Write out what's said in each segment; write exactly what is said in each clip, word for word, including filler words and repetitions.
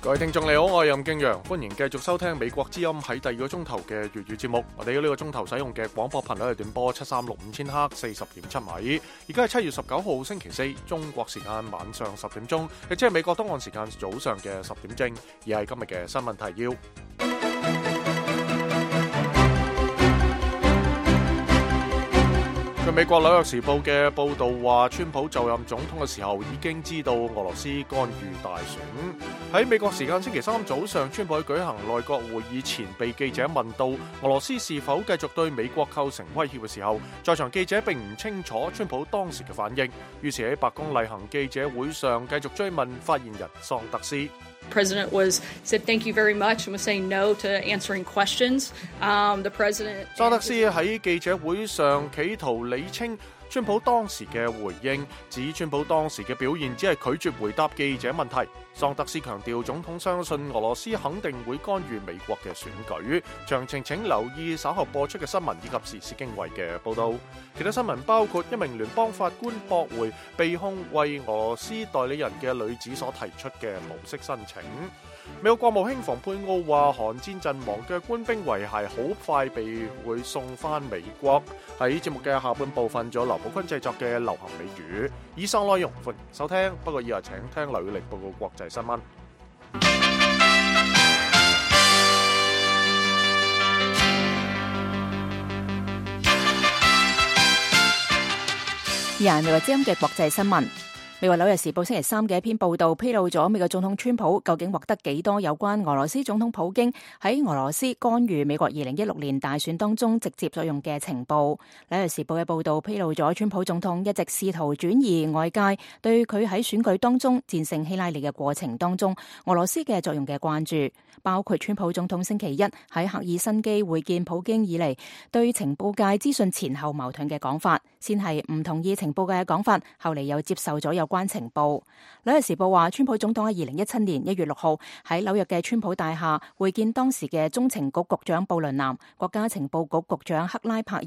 各位聽眾你好，我係任敬陽，歡迎繼續收聽美國之音喺第二個鐘頭嘅粵語節目。我哋呢個鐘頭使用嘅廣播頻率係短波七三六五千赫四十點七米。而家係七月十九號星期四，中國時間晚上十點鐘，亦即係美國東岸時間早上嘅十點正。而係今日嘅新聞提要。據美國紐約時報嘅報導話，川普就任總統嘅時候已經知道俄羅斯干預大選。喺美國時間星期三早上，川普喺舉行內閣會議前被記者問到俄羅斯是否繼續對美國構成威脅嘅時候，在場記者並唔清楚川普當時嘅反應，於是喺白宮例行記者會上繼續追問發言人桑德斯。President was said thank you very much and was saying no to answering questions. Um, the president 桑德斯喺記者會上企圖理清川普當時嘅回應，指川普當時嘅表現只係拒絕回答記者問題。桑德斯強調，總統相信俄羅斯肯定會干預美國嘅選舉。詳情請留意稍後播出嘅新聞以及時事經緯嘅報道。其他新聞包括一名聯邦法官駁回被控為俄羅斯代理人嘅女子所提出嘅保釋申請。美國國務卿蓬佩奧話，韓戰陣亡嘅官兵遺骸好快被會送翻美國。喺節目嘅下半部分，仲有劉寶坤製作嘅流行美語。以上內容歡迎收聽，不過以後請聽劉宇力報告國際新聞。而係美國之音嘅國際新聞。美國紐約時報星期三嘅一篇報道披露咗美國總統川普究竟獲得幾多有關俄羅斯總統普京喺俄羅斯干預美國二零一六年大選當中直接作用嘅情報。紐約時報嘅報道披露咗川普總統一直試圖轉移外界對佢喺選舉當中戰勝希拉里嘅過程當中俄羅斯嘅作用嘅關注，包括川普總統星期一喺赫爾辛基會見普京以嚟對情報界資訊前後矛盾嘅講法，先係唔同意情報界嘅講法，後嚟又接受咗有關情報。紐約時報話，川普總統喺二零一七年一月六號喺紐約嘅川普大廈會見當時嘅中情局局長布倫南、國家情報局局長克拉柏爾、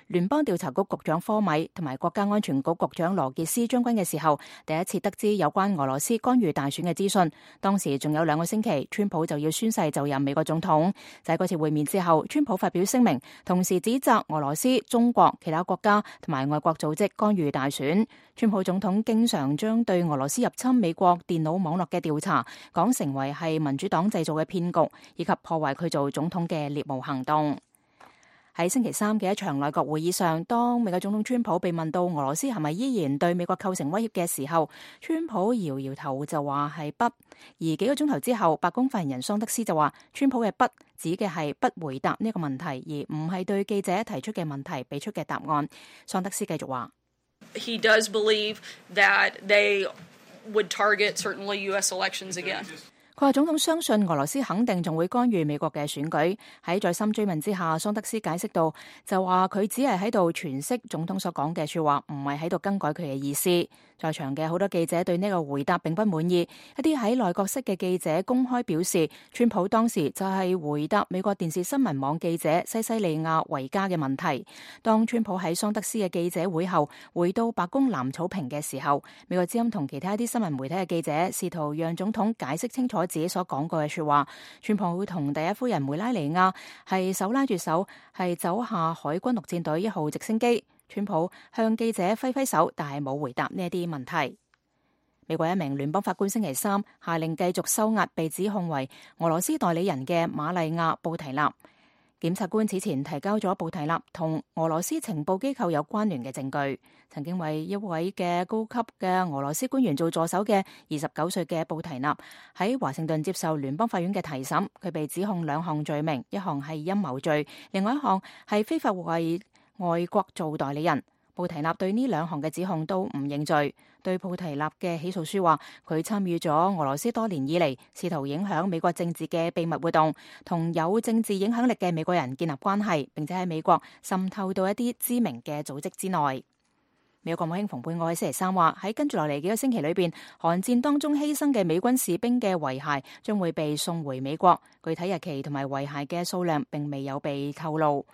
聯邦調查局局長科米同埋國家安全局局長羅傑斯將軍嘅時候，第一次得知有關俄羅斯干預大選嘅資訊。當時仲有兩個星期，川普就要宣誓就任美國總統。就喺嗰次會面之後，川普發表聲明，同時指責俄羅斯、中國、其他國家同埋外國組織干預大選。川普總統經常將對俄羅斯入侵美國電腦網絡嘅調查講成為係民主黨製造嘅騙局，以及破壞佢做總統嘅獵巫行動。喺星期三嘅一場內閣會議上，當美國總統川普被問到俄羅斯係咪依然對美國構成威脅嘅時候，川普搖搖頭就話係不。而幾個鐘頭之後，白宮發言人桑德斯就話，川普嘅不指嘅係不回答呢個問題，而唔係對記者提出嘅問題俾出嘅答案。桑德斯繼續話He does believe that they would target certainly U S elections again. 佢話總統相信俄羅斯肯定仲會干預美國嘅選舉。喺再三追問之下，桑德斯解釋到就話佢只係喺度詮釋總統所講嘅說話，唔係喺度更改佢嘅意思。在場嘅好多記者對呢個回答並不滿意，一啲喺內閣室嘅記者公開表示，川普當時就係回答美國電視新聞網記者西西利亞維加嘅問題。當川普喺桑德斯嘅記者會後回到白宮藍草坪嘅時候，美國之音同其他一啲新聞媒體嘅記者試圖讓總統解釋清楚自己所講過嘅說話。川普同第一夫人梅拉尼亞係手拉住手，係走下海軍陸戰隊一號直升機。川普向記者揮揮手，但係冇回答呢一啲問題。美國一名聯邦法官星期三下令繼續收押被指控為俄羅斯代理人嘅瑪麗亞布提納。檢察官此前提交咗布提納同俄羅斯情報機構有關聯嘅證據。曾經為一位嘅高級嘅俄羅斯官員做助手嘅二十九歲嘅布提納喺華盛頓接受聯邦法院嘅提審，佢被指控兩項罪名，一項係陰謀罪，另外一項係非法為外國做代理人。布提納對呢兩項嘅指控都唔認罪。對布提納嘅起訴書話，佢參與咗俄羅斯多年以嚟試圖影響美國政治嘅秘密活動，同有政治影響力嘅美國人建立關係，並且喺美國滲透到一啲知名嘅組織之內。美國國務卿蓬佩奧喺星期三話，喺跟住落嚟幾個星期裏邊，韓戰當中犧牲嘅美軍士兵嘅遺骸將會被送回美國，具體日期同埋遺骸嘅數量並未有被透露。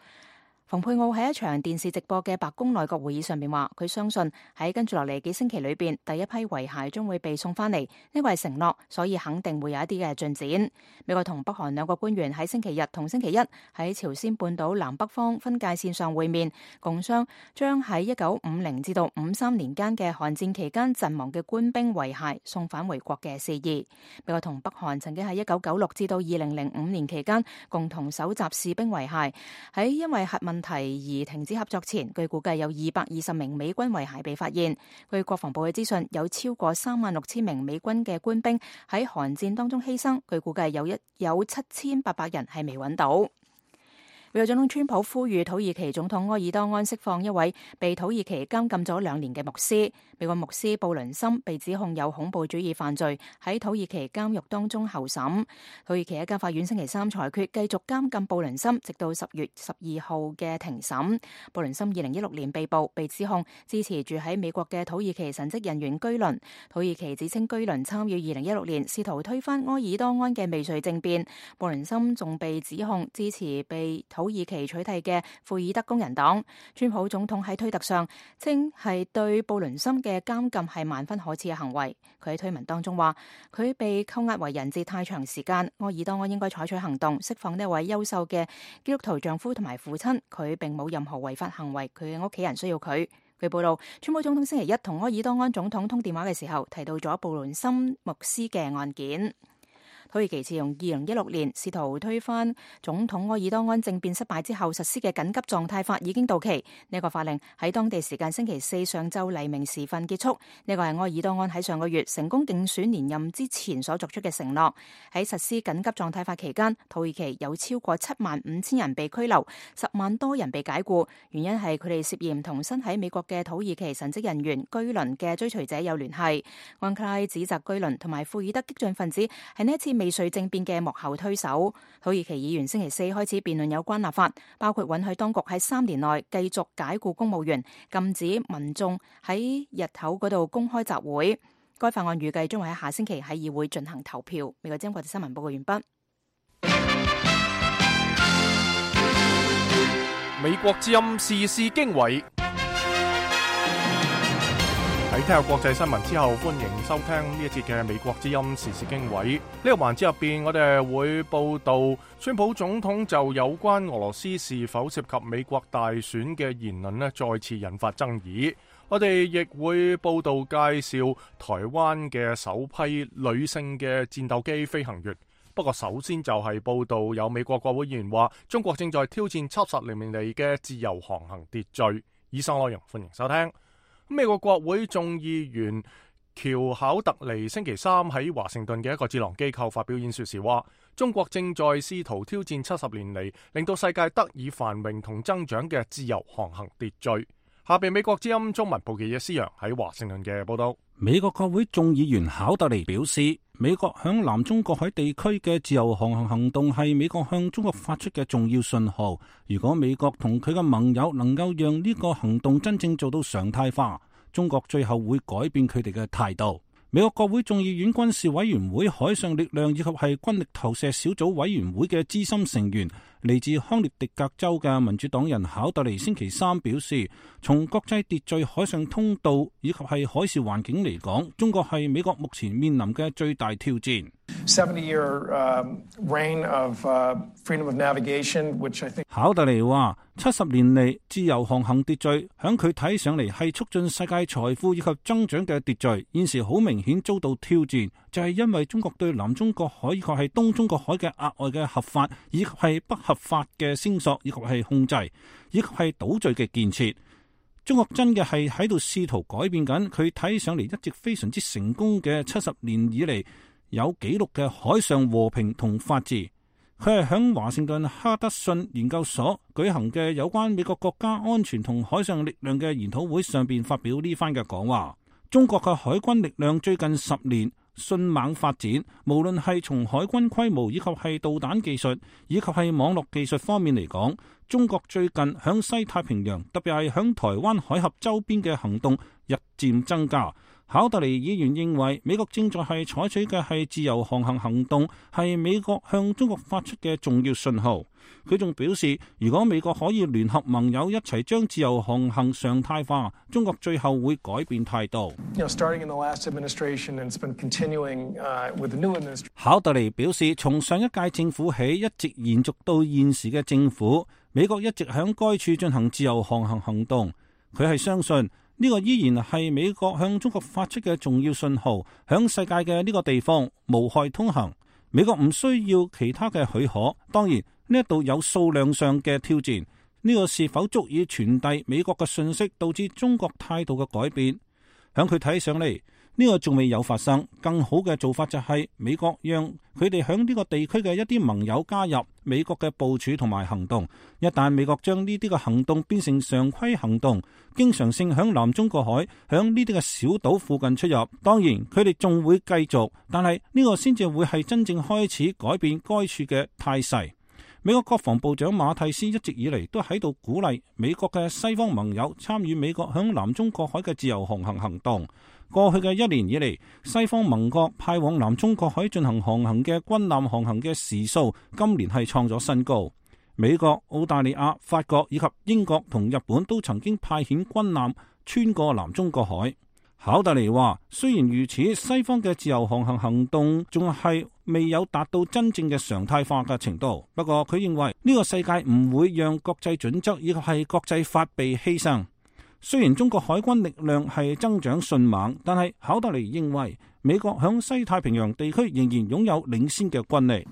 蓬佩奧喺一場電視直播嘅白宮內閣會議上面話，佢相信喺跟住落嚟幾星期裏邊，第一批遺骸將會被送翻嚟，呢個係承諾，所以肯定會有一啲嘅進展。美國同北韓兩個官員喺星期日同星期一喺朝鮮半島南北方分界線上會面，共商將喺一九五零至到五三年間嘅韓戰期間陣亡嘅官兵遺骸送返回國嘅事宜。美國同北韓曾經喺一九九六至到二零零五年期間共同搜集士兵遺骸，喺因為核問題而停止合作前，據估計有二百二十名美軍遺骸被發現。據國防部嘅資訊，有超過三萬六千名美軍嘅官兵喺韓戰當中犧牲，據估計有一有七千八百人係未揾到。美國總統川普呼籲土耳其總統埃爾多安釋放一位被土耳其監禁咗兩年嘅牧師。美國牧師布倫森被指控有恐怖主義犯罪，喺土耳其監獄當中候審。土耳其一家法院星期三裁決繼續監禁布倫森，直到十月十二號嘅庭審。布倫森二零一六年被捕，被指控支持住喺美國嘅土耳其神職人員居倫。土耳其指稱居倫參與二零一六年試圖推翻埃爾多安嘅未遂政變。布倫森仲被指控支持被土耳其取締嘅庫爾德工人黨。川普總統喺推特上稱係對布倫森嘅監禁係萬分可恥嘅行為。佢喺推文當中話，佢被扣押為人質太長時間，埃爾多安應該採取行動釋放呢位優秀嘅基督徒丈夫同埋父親。佢並冇任何違法行為，佢嘅屋企人需要佢。據報道，川普總統星期一同埃爾多安總統通電話嘅時候，提到咗布倫森牧師嘅案件。土耳其自從二零一六年試圖推翻總統埃爾多安政變失敗之後實施嘅緊急狀態法已經到期，呢、這個法令喺當地時間星期四上晝黎明時分結束。呢、這個係埃爾多安喺上個月成功競選連任之前所作出嘅承諾。喺實施緊急狀態法期間，土耳其有超過七萬五千人被拘留，十萬多人被解雇，原因係佢哋涉嫌同身喺美國嘅土耳其神職人員居倫嘅追隨者有聯繫。安卡拉指責居倫同埋庫爾德激進分子係呢一次未遂政變嘅幕後推手。土耳其議員星期四開始辯論有關立法，包括允許當局喺三年內繼續解雇公務員，禁止民眾喺日頭嗰度公開集會。該法案預計將會喺下星期喺議會進行投票。美國之音國際新聞報告完畢。美國之音時事經緯。喺聽下國際新聞之後，歡迎收聽呢一節嘅美國之音時事經緯。呢個環節入邊，我哋會報道川普總統就有關俄羅斯是否涉及美國大選嘅言論呢，再次引發爭議。我哋亦會報道介紹台灣嘅首批女性嘅戰鬥機飛行員。不過首先就係報道有美國國會議員話，中國正在挑戰七十年嚟嘅自由航行秩序。以上內容歡迎收聽。美國國會眾議員喬考特尼星期三喺華盛頓嘅一個智囊機構發表演說時話，中國正在試圖挑戰七十年嚟令到世界得以繁榮同增長嘅自由航行秩序。下邊美國之音中文部記者施洋喺華盛頓嘅報道。美國國會眾議員考特尼表示，美國響南中國海地區嘅自由航行行動係美國向中國發出嘅重要信號。如果美國同佢嘅盟友能夠讓呢個行動真正做到常態化，中國最後會改變佢哋嘅態度。美國國會眾議院軍事委員會海上力量以及係軍力投射小組委員會嘅資深成員，嚟自康涅狄格州嘅民主黨人考特尼星期三表示，從國際秩序、海上通道以及係海事環境嚟講，中國係美國目前面臨嘅最大挑戰。考特尼話：七十年嚟自由航行秩序，響佢睇上嚟係促進世界財富以及增長嘅秩序，現時好明顯遭到挑戰，就係因為中國對南中國海以及係東中國海嘅額外嘅合法以及係不合法嘅聲索以及係控制，以及係島嶼嘅建設。中國真嘅係喺度試圖改變緊佢睇上嚟一直非常之成功嘅七十年以嚟有紀錄嘅海上和平同法治。佢係響華盛頓哈德遜研究所舉行嘅有關美國國家安全同海上力量嘅研討會上邊發表呢番嘅講話。中國嘅海軍力量最近十年迅猛發展，無論係從海軍規模以及係導彈技術以及係網絡技術方面嚟講，中國最近響西太平洋，特別係響台灣海峽周邊嘅行動日漸增加。考特尼議員認為美國正在係採取嘅係自由航行行動，係美國向中國發出嘅重要信號。佢仲表示，如果美國可以聯合盟友一齊將自由航行常態化，中國最後會改變態度。考特尼表示，從上一屆政府起一直延續到現時嘅政府，美國一直響該處進行自由航行行動。佢係相信呢個依然係美國向中國發出嘅重要信號，響世界嘅呢個地方無害通行。美國唔需要其他嘅許可。當然呢一度有數量上嘅挑戰，呢個是否足以傳遞美國嘅信息，導致中國態度嘅改變？響佢睇上嚟，呢個仲未有發生。更好嘅做法就係美國讓佢哋響呢個地區嘅一啲盟友加入美國嘅部署同埋行動。一旦美國將呢啲嘅行動變成常規行動，經常性響南中國海、響呢啲嘅小島附近出入，當然佢哋仲會繼續，但係呢個先至會係真正開始改變該處嘅態勢。美國國防部長馬蒂斯一直以嚟都喺度鼓勵美國嘅西方盟友參與美國響南中國海嘅自由航行行動。過去嘅一年以嚟，西方盟國派往南中國海進行航行嘅軍艦航行嘅時數，今年係創咗新高。美國、澳大利亞、法國以及英國同日本都曾經派遣軍艦穿過南中國海。考特尼話，雖然如此，西方嘅自由航行行動仲係未有達到真正嘅常態化嘅程度。不過佢認為呢個世界唔會讓國際準則以及係國際法被犧牲。雖然中國海軍力量係增長迅猛，但係考特尼認為美國響西太平洋地區仍然擁有領先嘅軍力。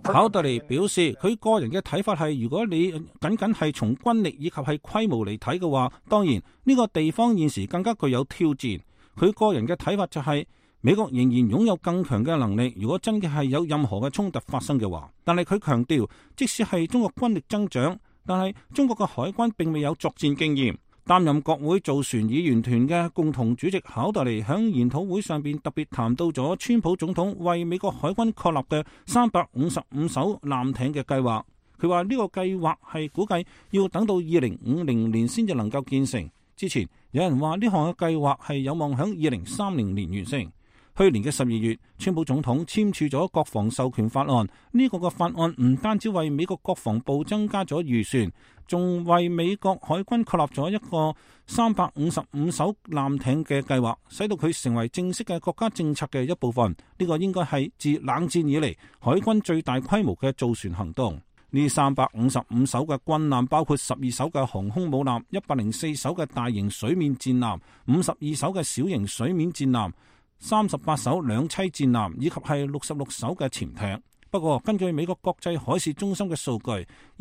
考特尼表示，佢個人嘅睇法係，如果你僅僅係從軍力以及係規模嚟睇嘅話，當然呢個地方現時更加具有挑戰。佢個人嘅睇法就係，美國仍然擁有更強嘅能力，如果真嘅係有任何嘅衝突發生嘅話。但係佢強調，即使係中國軍力增長，但係中國嘅海軍並未有作戰經驗。擔任國會造船議員團嘅共同主席考特尼響研討會上邊特別談到咗川普總統為美國海軍確立嘅三百五十五艘艦艇嘅計劃。佢話呢個計劃係估計要等到二零五零年先至能夠建成。之前有人話呢項嘅計劃係有望響二零三零年完成。去年嘅十二月，川普總統簽署咗國防授權法案。呢個嘅法案唔單止為美國國防部增加咗預算，仲為美國海軍確立咗一個三百五十五艘艦艇嘅計劃，使到佢成為正式嘅國家政策嘅一部分。呢個應該係自冷戰以嚟海軍最大規模嘅造船行動。呢三百五十五艘嘅軍艦包括十二艘嘅航空母艦、一百零四艘嘅大型水面戰艦、五十二艘嘅小型水面戰艦、三十八艘兩棲戰艦以及係六十六艘嘅潛艇。不過根據美國國際海事中心嘅數據，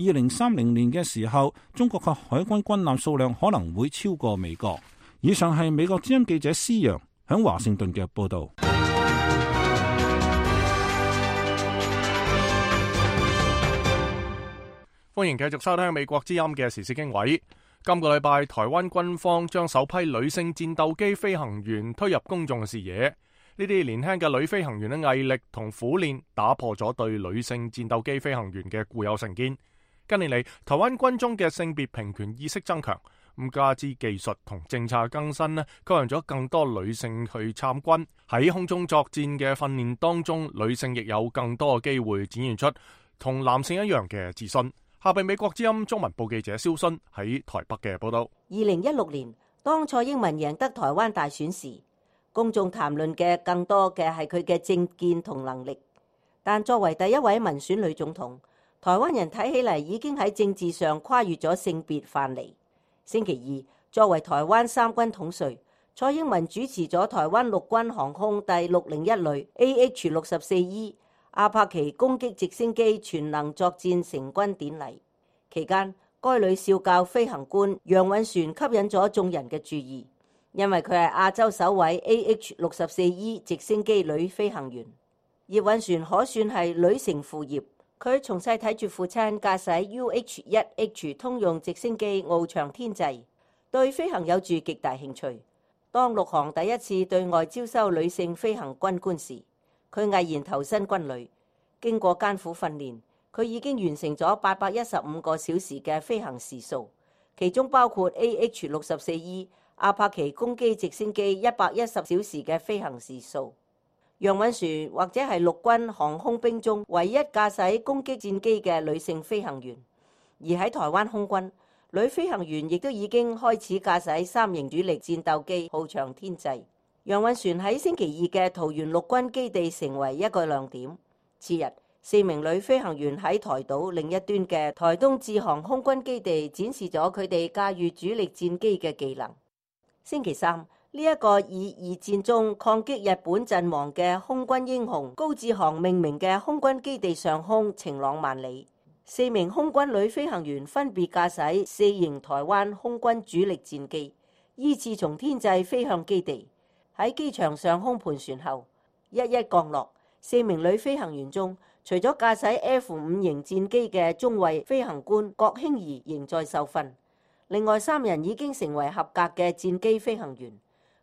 二零三零年嘅時候，中國嘅海軍軍艦數量可能會超過美國。以上係美國之音記者施洋響華盛頓嘅報道。歡迎繼續收聽美國之音嘅時事經緯。今個禮拜，台灣軍方將首批女性戰鬥機飛行員推入公眾視野。呢啲年輕嘅女飛行員嘅毅力同苦練，打破咗對女性戰鬥機飛行員嘅固有成見。近年嚟，台灣軍中嘅性別平權意識增強，咁加之技術同政策更新呢，吸引咗更多女性去參軍。喺空中作戰嘅訓練當中，女性亦有更多嘅機會展現出同男性一樣嘅自信。下邊美國之音中文部記者蕭勳喺台北嘅報道。二零一六年，當蔡英文贏得台灣大選時，公眾談論嘅更多嘅係佢嘅政見同能力。但作為第一位民選女總統，台灣人睇起嚟已經喺政治上跨越咗性別藩籬。星期二，作為台灣三軍統帥，蔡英文主持咗台灣陸軍航空第六零一旅 A H 六十四 E阿帕奇攻擊直升機全能作戰成軍典禮期間，該旅少校飛行官楊允璇吸引咗眾人嘅注意，因為佢係亞洲首位 A H 六十四 E 直升機女飛行員。葉允璇可算係女承父業，佢從細睇住父親駕駛 U H 一 H 通用直升機翱翔天際，對飛行有住極大興趣。當陸航第一次對外招收女性飛行軍官時，佢毅然投身軍旅，經過艱苦訓練，佢已經完成咗八百一十五個小時嘅飛行時數，其中包括 A H 六十四 E 阿帕奇攻擊直升機一百一十小時嘅飛行時數。楊允璇或者係陸軍航空兵中唯一駕駛攻擊戰機嘅女性飛行員，而喺台灣空軍，女飛行員亦都已經開始駕駛三型主力戰鬥機翱翔天際。楊允璇喺星期二嘅桃園陸軍基地成為一個亮點。次日，四名女飛行員喺台島另一端嘅台東志航空軍基地展示咗佢哋駕馭主力戰機嘅技能。星期三，呢一個以二戰中抗擊日本陣亡嘅空軍英雄高志航命名嘅空軍基地上空晴朗萬里，四名空軍女飛行員分別駕駛四型台灣空軍主力戰機，依次從天際飛向基地。喺機場上空盤旋後，一一降落。四名女飛行員中，除咗駕駛 F 五型戰機嘅中尉飛行官郭興儀仍在受訓，另外三人已經成為合格嘅戰機飛行員。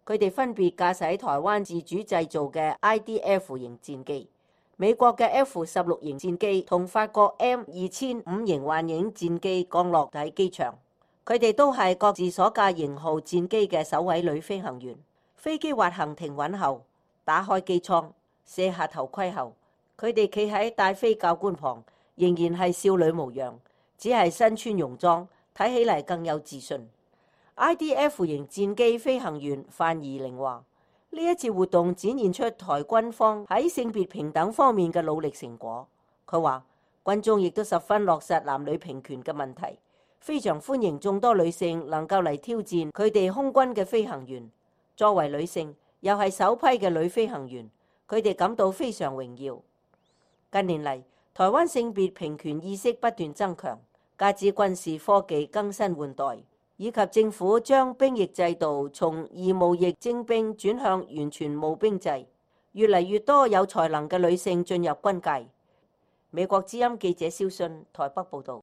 佢哋分別駕駛台灣自主製造嘅 I D F 型戰機、美國嘅 F 十六型戰機同法國 M 二千五型幻影戰機降落喺機場。佢哋都係各自所駕型號戰機嘅首位女飛行員。飛機滑行停穩後，打開機艙，卸下頭盔後，佢哋企喺戴飛教官旁，仍然係少女模樣，只係身穿泳裝，睇起嚟更有自信。I D F 型戰機飛行員范怡玲話：呢一次活動展現出台軍方喺性別平等方面嘅努力成果。佢話軍中亦都十分落實男女平權嘅問題，非常歡迎眾多女性能夠嚟挑戰佢哋空軍嘅飛行員。作為女性，又係首批嘅女飛行員，佢哋感到非常榮耀。近年嚟，台灣性別平權意識不斷增強，加之軍事科技更新換代，以及政府將兵役制度從義務役徵兵轉向完全募兵制，越嚟越多有才能嘅女性進入軍界。美國之音記者蕭信台北報導。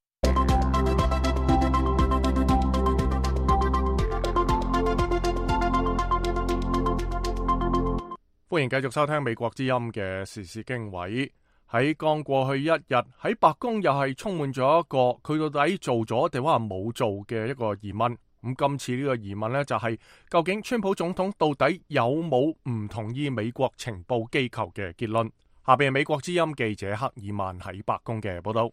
歡迎繼續收聽美國之音嘅時事經緯。喺剛過去一日，喺白宮又係充滿咗一個佢到底做咗定話冇做嘅一個疑問。咁今次呢個疑問呢，就係、是、究竟川普總統到底有冇唔同意美國情報機構嘅結論？下邊係美國之音記者克爾曼喺白宮嘅報道。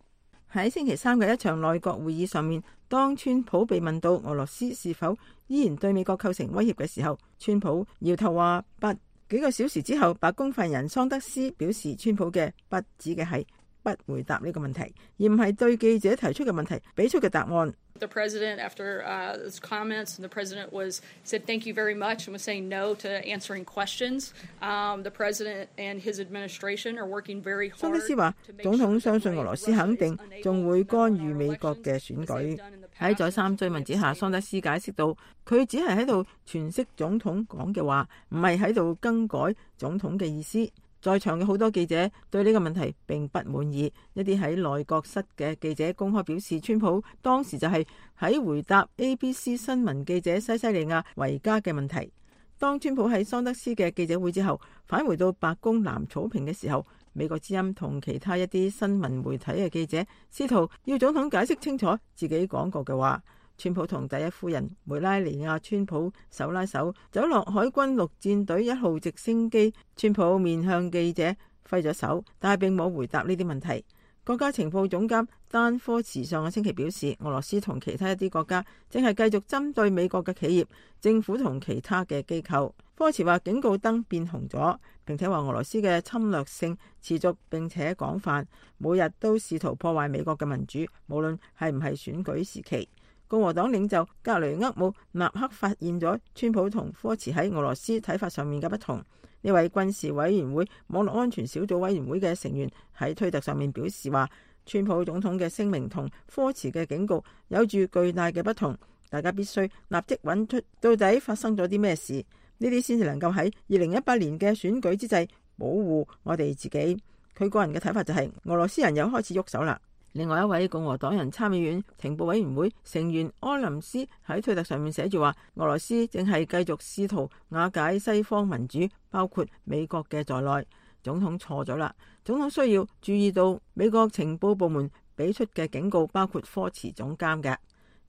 喺星期三嘅一場內閣會議上面，當川普被問到俄羅斯是否依然對美國構成威脅嘅時候，川普搖頭話不。幾個小時之後，白宮發言人桑德斯表示，川普嘅不指嘅係不回答呢個問題，而唔係對記者提出嘅問題俾出嘅答案。The president, after uh, his comments, the president was said thank you very much and was saying no to answering questions. Um, the president and his administration are working very hard. 桑德斯話，總統相信俄羅斯肯定仲會干預美國嘅選舉。喺再三追問之下，桑德斯解釋到，佢只係喺度詮釋總統講嘅話，唔係喺度更改總統嘅意思。在場嘅好多記者對呢個問題並不滿意，一啲喺內閣室嘅記者公開表示，川普當時就係喺回答 A B C 新聞記者西西利亞維加嘅問題。當川普喺桑德斯嘅記者會之後返回到白宮南草坪嘅時候，美國之音同其他一啲新聞媒體嘅記者試圖要總統解釋清楚自己講過嘅話。川普同第一夫人梅拉尼亞川普手拉手走落海軍陸戰隊一號直升機，川普面向記者揮咗手，但係並冇回答呢啲問題。國家情報總監丹科茨上個星期表示，俄羅斯同其他一啲國家正係繼續針對美國嘅企業、政府同其他嘅機構。科茨話警告燈變紅咗，並且話俄羅斯嘅侵略性持續並且廣泛，每日都試圖破壞美國嘅民主，無論係唔係選舉時期。共和黨領袖格雷厄姆立刻發現咗川普同科茨喺俄羅斯睇法上面嘅不同。呢位軍事委員會網絡安全小組委員會嘅成員喺推特上面表示話，川普總統嘅聲明同科茨嘅警告有住巨大嘅不同，大家必須立即揾出到底發生咗啲咩事，呢啲先至能夠喺二零一八年嘅選舉之際保護我哋自己。佢個人嘅睇法就係、是、俄羅斯人又開始喐手啦。另外一位共和黨人參議院情報委員會成員柯林斯喺推特上面寫住話，俄羅斯正係繼續試圖瓦解西方民主，包括美國嘅在內。總統錯咗啦，總統需要注意到美國情報部門俾出嘅警告，包括科茨總監嘅。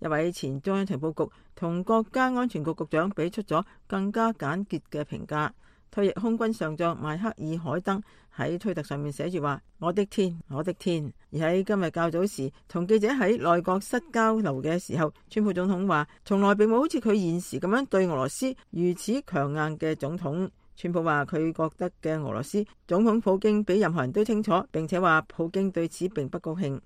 一位前中央情報局同國家安全局局長俾出咗更加簡潔嘅評價。退役空軍上將邁克爾海登喺推特上面寫住話：我的天，我的天！而喺今日較早時同記者喺內閣室交流嘅時候，川普總統話從來並冇好似佢現時咁樣對俄羅斯如此強硬嘅總統。川普話佢覺得嘅俄羅斯總統普京比任何人都清楚，並且話普京對此並不高興。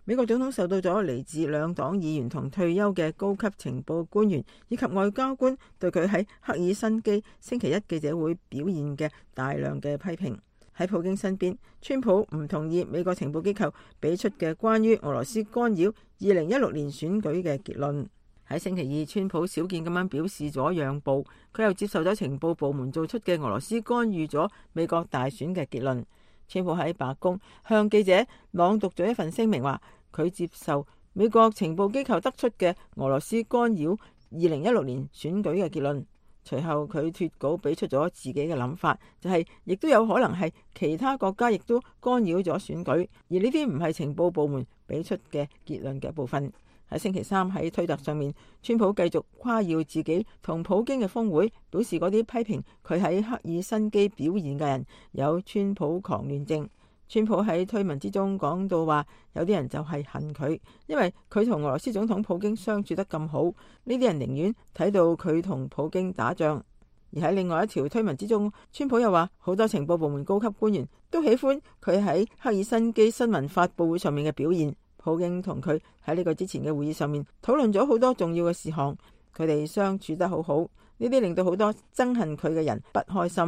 美國總統受到咗嚟自兩黨議員同退休嘅高級情報官員以及外交官對佢喺赫爾辛基星期一記者會表現嘅大量嘅批評。喺普京身邊，川普唔同意美國情報機構俾出嘅關於俄羅斯干擾二零一六年選舉嘅結論。喺星期二，川普少見咁樣表示咗讓步，佢又接受咗情報部門做出嘅俄羅斯干預咗美國大選嘅結論。川普喺白宮向記者朗讀咗一份聲明，話佢接受美國情報機構得出嘅俄羅斯干擾二零一六年選舉嘅結論。隨後佢脫稿俾出咗自己嘅諗法，就係、是、亦都有可能係其他國家亦都干擾咗選舉，而呢啲唔係情報部門俾出嘅結論嘅一部分。喺星期三喺推特上面，川普繼續誇耀自己同普京嘅峰會，表示嗰啲批評佢喺赫爾辛基表現嘅人有川普狂亂症。川普喺推文之中講到話，有啲人就係恨佢，因為佢同俄羅斯總統普京相處得咁好，呢啲人寧願睇到佢同普京打仗。而喺另外一條推文之中，川普又話好多情報部門高級官員都喜歡佢喺赫爾辛基新聞發佈會上面嘅表現。普京同佢喺呢個之前嘅會議上面討論咗好多重要嘅事項，佢哋相處得好好，呢啲令到好多憎恨佢嘅人不開心。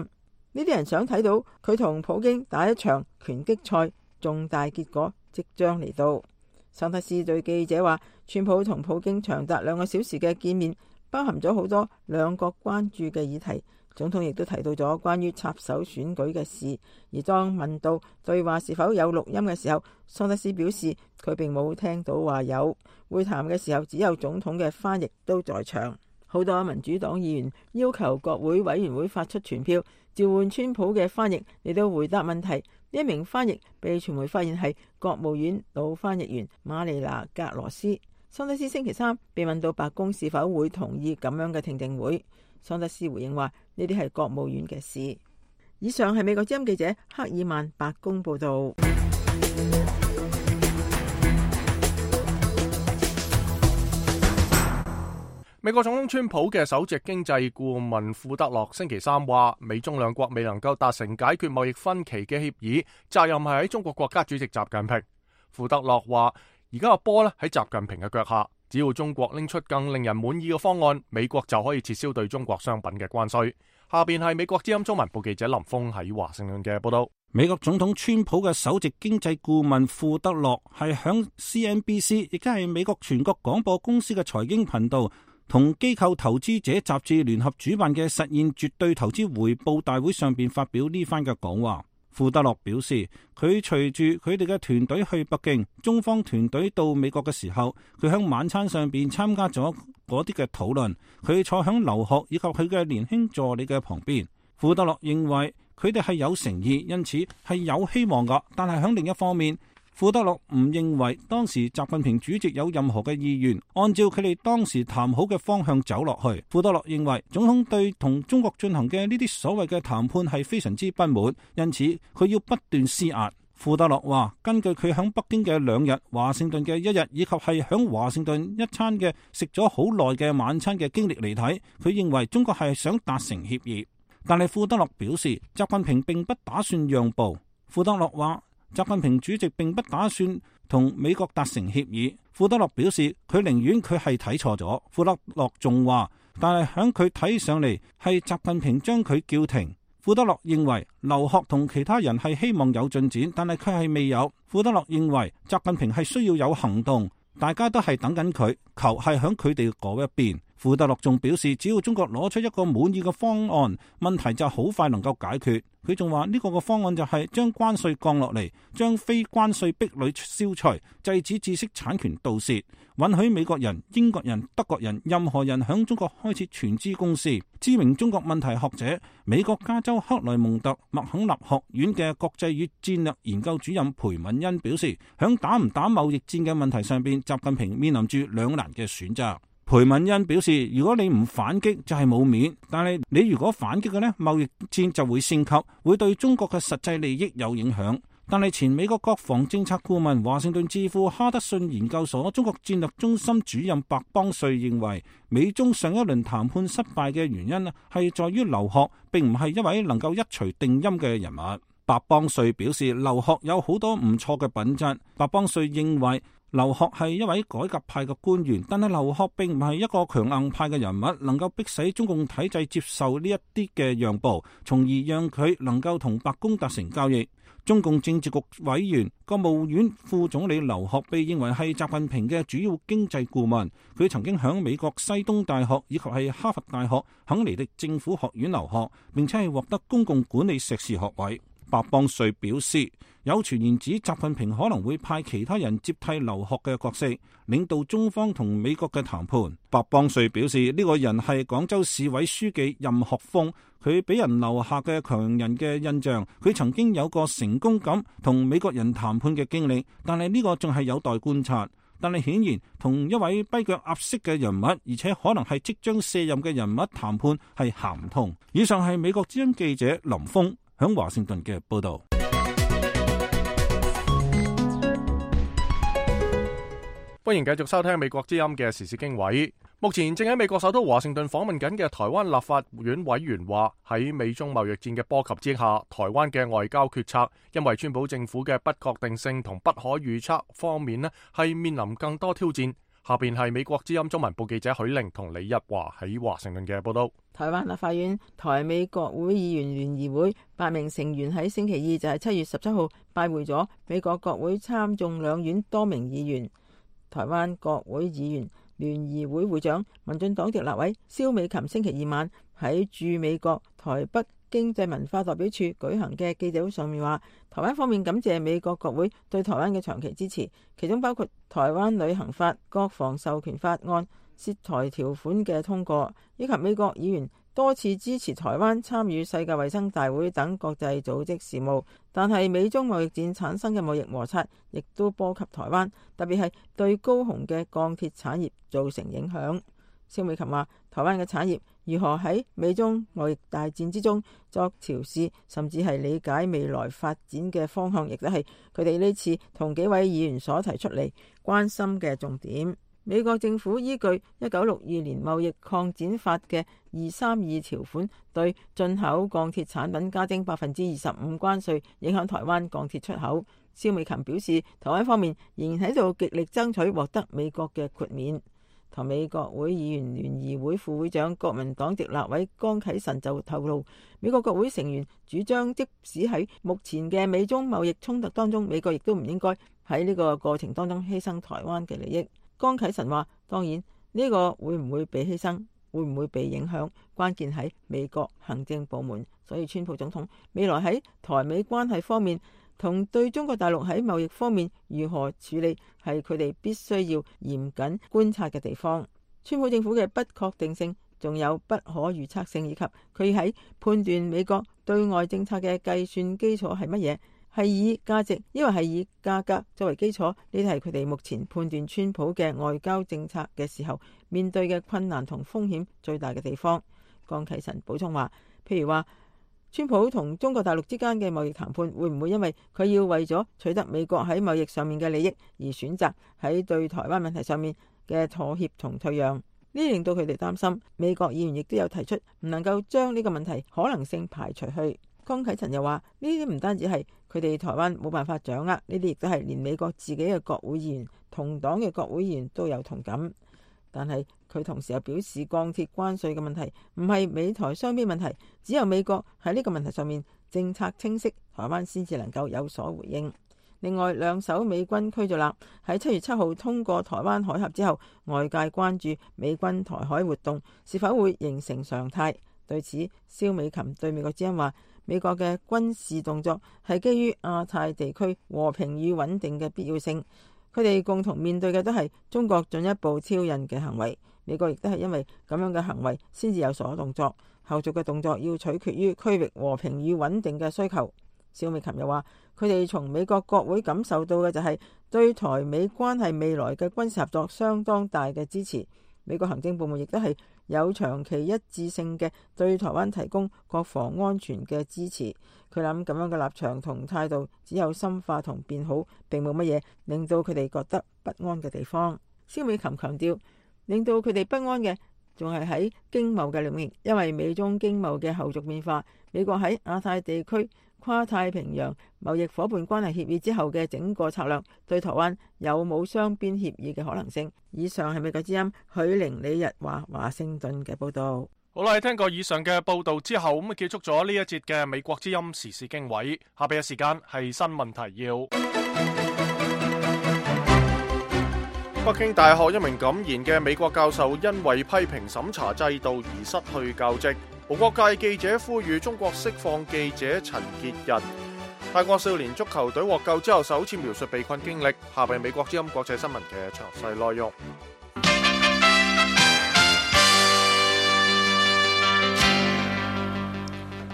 呢啲人想睇到佢同普京打一場拳擊賽，重大結果即將嚟到。桑德斯對記者話，川普同普京長達兩個小時嘅見面，包含咗好多兩國關注嘅議題。總統亦都提到咗關於插手選舉嘅事，而當問到對話是否有錄音嘅時候，桑德斯表示佢並冇聽到話有。會談嘅時候只有總統嘅翻譯都在場。好多民主黨議員要求國會委員會發出傳票召喚川普嘅翻譯嚟到回答問題。呢一名翻譯被傳媒發現係國務院老翻譯員瑪麗娜格羅斯。桑德斯星期三被問到白宮是否會同意咁樣嘅聽證會，桑德斯回應話呢啲係國務院嘅事。以上係美國之音記者克爾曼白宮報道。美國總統川普嘅首席經濟顧問庫德洛星期三話，美中兩國未能夠達成解決貿易分歧嘅協議，責任係喺中國國家主席習近平。庫德洛話，而家個波咧喺習近平嘅腳下，只要中國拎出更令人滿意嘅方案，美國就可以撤銷對中國商品嘅關稅。下邊係美國之音中文部記者林峰喺華盛頓嘅報道。美國總統川普嘅首席經濟顧問庫德洛係響 C N B C， 亦即係美國全國廣播公司嘅財經頻道，同機構投資者雜誌聯合主辦嘅實現絕對投資回報大會上邊發表呢番嘅講話。庫德洛表示，佢隨住佢哋嘅團隊去北京，中方團隊到美國嘅時候，佢喺晚餐上邊參加咗嗰啲嘅討論。佢坐響劉鶴以及佢嘅年輕助理嘅旁邊。庫德洛認為佢哋係有誠意，因此係有希望噶。但係喺另一方面，庫德洛唔認為當時習近平主席有任何嘅意願按照佢哋當時談好嘅方向走落去。庫德洛認為總統對同中國進行嘅呢啲所謂嘅談判係非常之不滿，因此佢要不斷施壓。庫德洛話，根據佢響北京嘅兩日、華盛頓嘅一日，以及係響華盛頓一餐嘅食咗好耐嘅晚餐嘅經歷嚟睇，佢認為中國係想達成協議。但係庫德洛表示，習近平並不打算讓步。庫德洛話，習近平主席並不打算同美國達成協議。庫德洛表示，佢寧願佢係睇錯咗。庫德洛仲話，但係響佢睇上嚟係習近平將佢叫停。庫德洛認為劉鶴同其他人係希望有進展，但係佢係未有。庫德洛認為習近平係需要有行動，大家都係等緊佢，球係響佢哋嗰一邊。庫德洛仲表示，只要中國攞出一個滿意嘅方案，問題就好快能夠解決。佢仲話呢個嘅方案就係將關稅降落嚟，將非關稅壁壘消除，制止知識產權盜竊，允許美國人、英國人、德國人任何人響中國開設全資公司。知名中國問題學者、美國加州克萊蒙特麥肯納學院嘅國際與戰略研究主任裴敏恩表示，響打唔打貿易戰嘅問題上邊，習近平面臨住兩難嘅選擇。裴敏恩表示，如果你唔反擊就係冇面，但係你如果反擊嘅呢，貿易戰就會升級，會對中國嘅實際利益有影響。但係前美國國防政策顧問、華盛頓智庫哈德遜研究所中國戰略中心主任白邦瑞認為，美中上一輪談判失敗嘅原因係在於劉鶴並唔係一位能夠一錘定音嘅人物。白邦瑞表示，劉鶴有好多唔錯嘅品質。白邦瑞認為，劉鶴係一位改革派嘅官員，但係劉鶴並唔係一個強硬派嘅人物，能夠迫使中共體制接受呢一啲嘅讓步，從而讓佢能夠同白宮達成交易。中共政治局委員、國務院副總理劉鶴被認為係習近平嘅主要經濟顧問，佢曾經響美國西東大學以及係哈佛大學肯尼迪政府學院留學，並且係獲得公共管理碩士學位。白邦瑞表示，有傳言指習近平可能會派其他人接替劉鶴嘅角色，領導中方同美國嘅談判。白邦瑞表示，呢個人係廣州市委書記任學峰，佢俾人留下嘅強人嘅印象，佢曾經有個成功咁同美國人談判嘅經歷，但係呢個仲係有待觀察。但係顯然同一位跛腳鴨式嘅人物，而且可能係即將卸任嘅人物談判係行唔通。以上係美國之音記者林峰響華盛頓嘅報道。歡迎繼續收聽美國之音嘅時事經緯。目前正喺美國首都華盛頓訪問緊嘅台灣立法院委員話，喺美中貿易戰嘅波及之下，台灣嘅外交決策因為川普政府嘅不確定性同不可預測方面呢，係面臨更多挑戰。下邊係美國之音中文部記者許玲同李日華喺華盛頓嘅報道。台灣立法院台美國會議員聯誼會八名成員喺星期二就係七月十七號拜會咗美國國會參眾兩院多名議員。台灣國會議員聯誼會會長民進黨籍立委蕭美琴星期二晚喺駐美國台北經濟文化代表處舉行嘅記者會上面話，台灣方面感謝美國國會對台灣嘅長期支持，其中包括台灣旅行法、國防授權法案、涉台條款嘅通過，以及美國議員多次支持台灣參與世界衛生大會等國際組織事務。但係美中貿易戰產生嘅貿易摩擦亦都波及台灣，特別係對高雄嘅鋼鐵產業造成影響。蕭美琴話，台灣嘅產業如何喺美中貿易大戰之中作調試，甚至係理解未來發展嘅方向，亦都係佢哋呢次同幾位議員所提出嚟關心嘅重點。美國政府依據一九六二年貿易擴展法嘅二三二條款，對進口鋼鐵產品加徵百分之二十五關稅，影響台灣鋼鐵出口。蕭美琴表示，台灣方面仍然喺度極力爭取獲得美國嘅豁免。台美國會議員聯誼會副會長國民黨籍立委江啟臣就透露，美國國會成員主張，即使喺目前嘅美中貿易衝突當中，美國亦都唔應該喺呢個過程當中犧牲台灣嘅利益。江啟臣話，當然呢個會唔會被犧牲，會唔會被影響，關鍵喺美國行政部門。所以川普總統未來喺台美關係方面同對中國大陸喺貿易方面如何處理，係佢哋必須要嚴謹觀察嘅地方。川普政府嘅不確定性，仲有不可預測性，以及佢喺判斷美國對外政策嘅計算基礎係乜嘢，係以價值，抑或係以價格作為基礎，呢啲係佢哋目前判斷川普嘅外交政策嘅時候面對嘅困難同風險最大嘅地方。江啟臣補充話，譬如話，川普同中國大陸之間嘅貿易談判會唔會因為佢要為咗取得美國喺貿易上面嘅利益而選擇喺對台灣問題上面嘅妥協同退讓？呢令到佢哋擔心。美國議員亦都有提出唔能夠將呢個問題可能性排除去。江啟臣又話，呢啲唔單止係佢哋台灣冇辦法掌握，呢啲亦都係連美國自己嘅國會議員、同黨嘅國會議員都有同感。但係佢同時又表示，鋼鐵關稅嘅問題唔係美台雙邊問題，只有美國喺呢個問題上面政策清晰，台灣先至能夠有所回應。另外，兩艘美軍驅逐艦喺七月七號通過台灣海峽之後，外界關注美軍台海活動是否會形成常態。對此，蕭美琴對美國之音話：美國嘅軍事動作係基於亞太地區和平與穩定嘅必要性，佢哋共同面對嘅都係中國進一步挑釁嘅行為。美國亦都係因為咁樣嘅行為先至有所動作，後續嘅動作要取決於區域和平與穩定嘅需求。蕭美琴又話：佢哋從美國國會感受到嘅就係對台美關係未來嘅軍事合作相當大嘅支持。美國行政部門亦都係有長期一致性嘅對台灣提供國防安全嘅支持。佢諗咁樣嘅立場同態度只有深化同變好，並冇乜嘢令到佢哋覺得不安嘅地方。蕭美琴強調，令到佢哋不安嘅仲係喺經貿嘅領域，因為美中經貿嘅後續變化，美國喺亞太地區跨太平洋貿易夥伴關係協議之後嘅整個策略，對台灣有冇雙邊協議嘅可能性。以上係美國之音許玲李日華華盛頓嘅報道。好啦，聽過以上嘅報道之後，咁啊結束咗呢一節嘅美國之音時事經緯。下邊嘅時間係新聞提要。北京大學一名感言嘅美國教授因為批評審查制度而失去教職。無國界記者呼籲中國釋放記者陳潔仁。泰國少年足球隊獲救之後首次描述被困經歷。下邊美國之音國際新聞嘅詳細內容。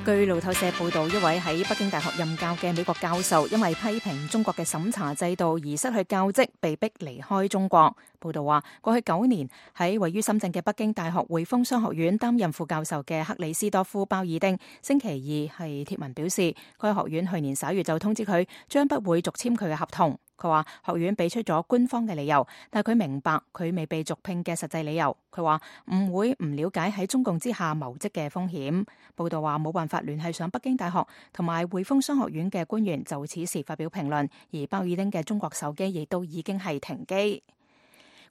據路透社報道，一位喺北京大學任教嘅美國教授因為批評中國嘅審查制度而失去教職，被逼離開中國。報道話，過去九年喺位於深圳嘅北京大學匯豐商學院擔任副教授嘅克里斯多夫鮑爾丁，星期二係貼文表示，該學院去年十一月就通知佢將不會續簽佢嘅合同。佢話學院俾出咗官方嘅理由，但佢明白佢未被續聘嘅實際理由。佢話唔會唔了解喺中共之下謀職嘅風險。報道話冇辦法聯繫上北京大學同埋匯豐商學院嘅官員就此事發表評論，而鮑爾丁嘅中國手機亦都已經係停機。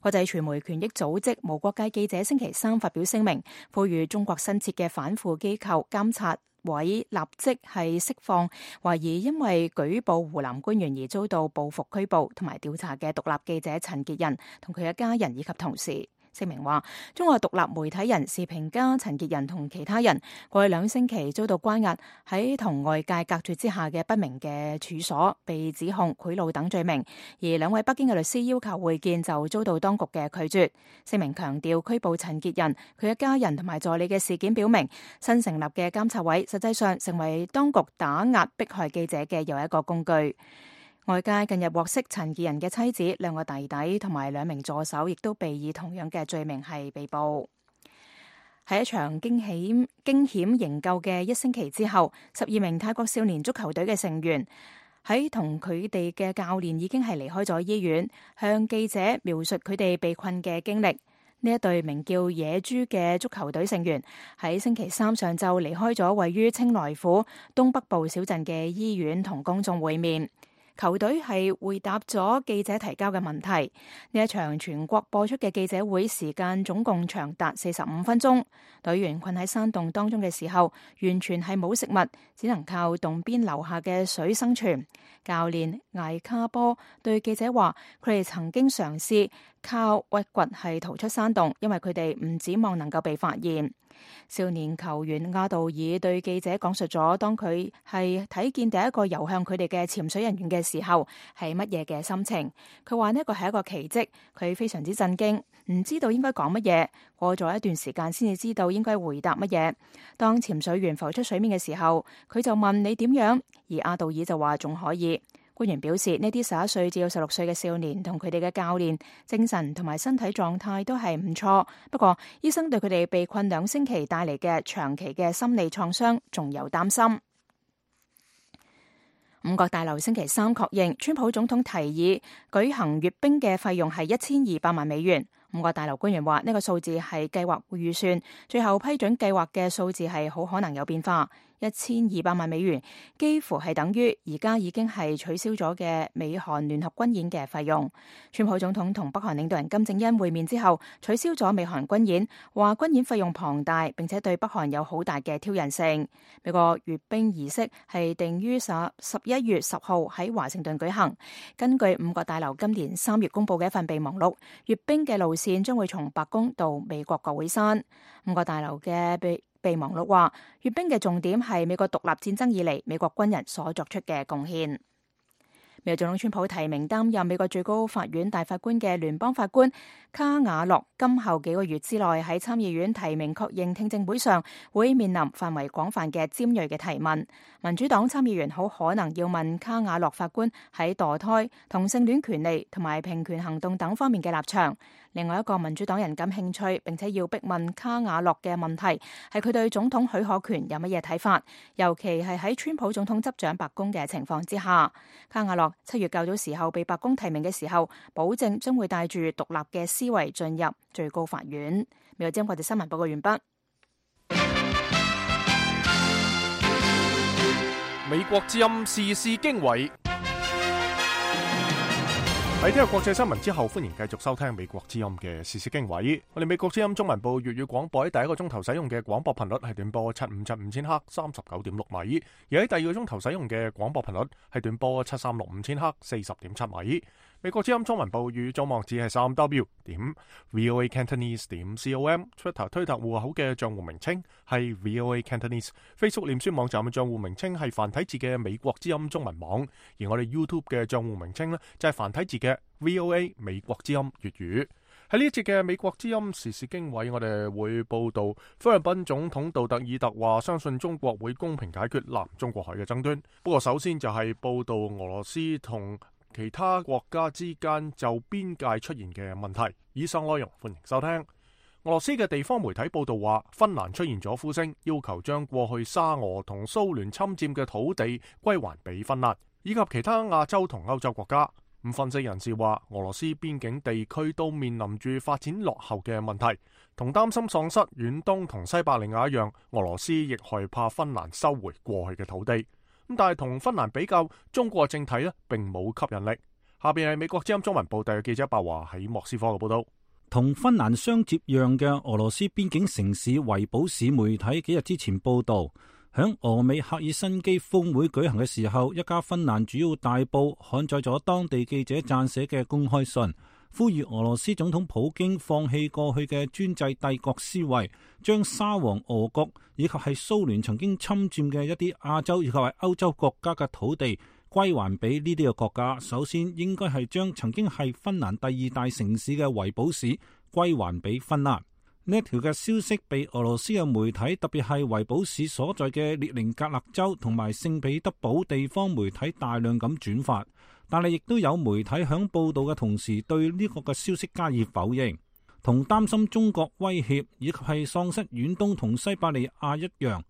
國際傳媒權益組織無國界記者星期三發表聲明，呼籲中國新設嘅反腐機構監察委立即係釋放懷疑因為舉報湖南官員而遭到報復拘捕同埋調查嘅獨立記者陳潔仁同佢嘅家人以及同事。聲明話，中國獨立媒體人視評家陳潔仁同其他人過去兩星期遭到關押喺同外界隔絕之下嘅不明嘅處所，被指控賄賂等罪名，而兩位北京嘅律師要求會見就遭到當局嘅拒絕。聲明強調，拘捕陳潔仁、佢嘅家人同埋助理嘅事件表明，新成立嘅監察委實際上成為當局打壓迫害記者嘅又一個工具。外界近日獲悉陳潔仁嘅妻子、兩個弟弟同埋兩名助手亦都被以同樣嘅罪名係被捕。喺一場驚險驚險營救嘅一星期之後，十二名泰國少年足球隊嘅成員喺同佢哋嘅教練已經係離開咗醫院，向記者描述佢哋被困嘅經歷。呢一隊名叫野豬嘅足球隊成員喺星期三上晝離開咗位於清萊府東北部小鎮嘅醫院，同公眾會面。球隊係回答咗記者提交嘅問題。呢一場全國播出嘅記者會時間總共長達四十五分鐘。隊員困喺山洞當中嘅時候，完全係冇食物，只能靠洞邊流下嘅水生存。教練艾卡波對記者話，佢哋曾經嘗試靠屈掘係逃出山洞，因為佢哋唔指望能夠被發現。少年球員阿道爾對記者講述咗當佢係睇見第一個游向佢哋嘅潛水人員嘅時候係乜嘢嘅心情。佢話呢個係一個奇蹟，佢非常之震驚，唔知道應該講乜嘢。過咗一段時間先至知道應該回答乜嘢。當潛水員浮出水面嘅時候，佢就問你點樣，而阿道爾就話仲可以。官員表示，呢啲十一歲至到十六歲嘅少年同佢哋嘅教練精神同埋身體狀態都係唔錯，不過醫生對佢哋被困兩星期帶嚟嘅長期嘅心理創傷仲有擔心。五角大樓星期三確認，川普總統提議舉行閱兵嘅費用係一千二百萬美元。五角大樓官員話，呢個數字係計劃預算，最後批准計劃嘅數字係好可能有變化。一千二百萬美元，幾乎係等於而家已經係取消咗嘅美韓聯合軍演嘅費用。川普總統同北韓領導人金正恩會面之後，取消咗美韓軍演，話軍演費用龐大，並且對北韓有好大嘅挑釁性。美國閱兵儀式係定於十十一月十號喺華盛頓舉行。根據五角大樓今年三月公布嘅一份備忘錄，閱兵嘅路線將會從白宮到美國國會山。五角大樓嘅備備忘錄話，閱兵嘅重點係美國獨立戰爭以嚟美國軍人所作出嘅貢獻。美國總統川普提名擔任美國最高法院大法官嘅聯邦法官卡瓦諾，今後幾個月之內喺參議院提名確認聽證會上會面臨範圍廣泛嘅尖銳嘅提問。民主黨參議員好可能要問卡瓦諾法官喺墮胎、同性戀權利同埋平權行動等方面嘅立場。另外一個民主黨人感興趣並且要逼問卡瓦諾嘅問題係佢對總統許可權有乜嘢睇法，尤其係喺川普總統執掌白宮嘅情況之下。卡瓦諾七月較早時候被白宮提名嘅時候，保證將會帶住獨立嘅思維進入最高法院。美國之音國際新聞報告完畢。美國之音時事經緯。喺聽日國際新聞之後，歡迎繼續收聽美國之音嘅時事經緯。我哋美國之音中文部粵語廣播喺第一個鐘頭使用嘅廣播頻率係短波七五七五千赫，三十九點六米；而喺第二個鐘頭使用嘅廣播頻率係短波七三六五千赫，四十點七米。美國之音中文部語總網址係三 W 點 VOA Cantonese 點 com，Twitter 推特戶口嘅賬戶名稱係 VOA Cantonese，Facebook 臉書網站嘅賬戶名稱係繁體字嘅美國之音中文網，而我哋 YouTube 嘅賬戶名稱呢，就係繁體字嘅 VOA 美國之音粵語。喺呢一節嘅美國之音時事經緯，我哋會報道菲律賓總統杜特爾特話相信中國會公平解決南中國海嘅爭端。不過首先就係報道俄羅斯同其他國家之間就邊界出現嘅問題。以上內容歡迎收聽。俄羅斯嘅地方媒體報道話，芬蘭出現咗呼聲，要求將過去沙俄同蘇聯侵佔嘅土地歸還俾芬蘭，以及其他亞洲同歐洲國家。咁分析人士話，俄羅斯邊境地區都面臨住發展落後嘅問題，同擔心喪失遠東同西伯利亞一樣，俄羅斯亦害怕芬蘭收回過去嘅土地。咁但係同芬蘭比較，中國政體呢並冇吸引力。下邊係美國之音中文部特約記者白華喺莫斯科嘅報道。同芬蘭相接壤嘅俄羅斯邊境城市維堡市媒體幾日之前報道，響俄美赫爾辛基峰會舉行嘅時候，一家芬蘭主要大報刊載咗當地記者撰寫嘅公開信，呼籲俄羅斯總統普京放棄過去嘅專制帝國思維，將沙皇俄國以及係蘇聯曾經侵佔嘅一啲亞洲以及係歐洲國家嘅土地歸還俾呢啲嘅國家。首先應該係將曾經係芬蘭第二大城市嘅維堡市歸還俾芬蘭。呢一條嘅消息被俄羅斯嘅媒體，特別係維堡市所在嘅列寧格勒州同埋聖彼得堡地方媒體大量咁轉發，但係亦都有媒體響報道嘅同時對呢個嘅消息加以否認。同擔心中國威脅以及係喪失遠東同西伯利亞一樣，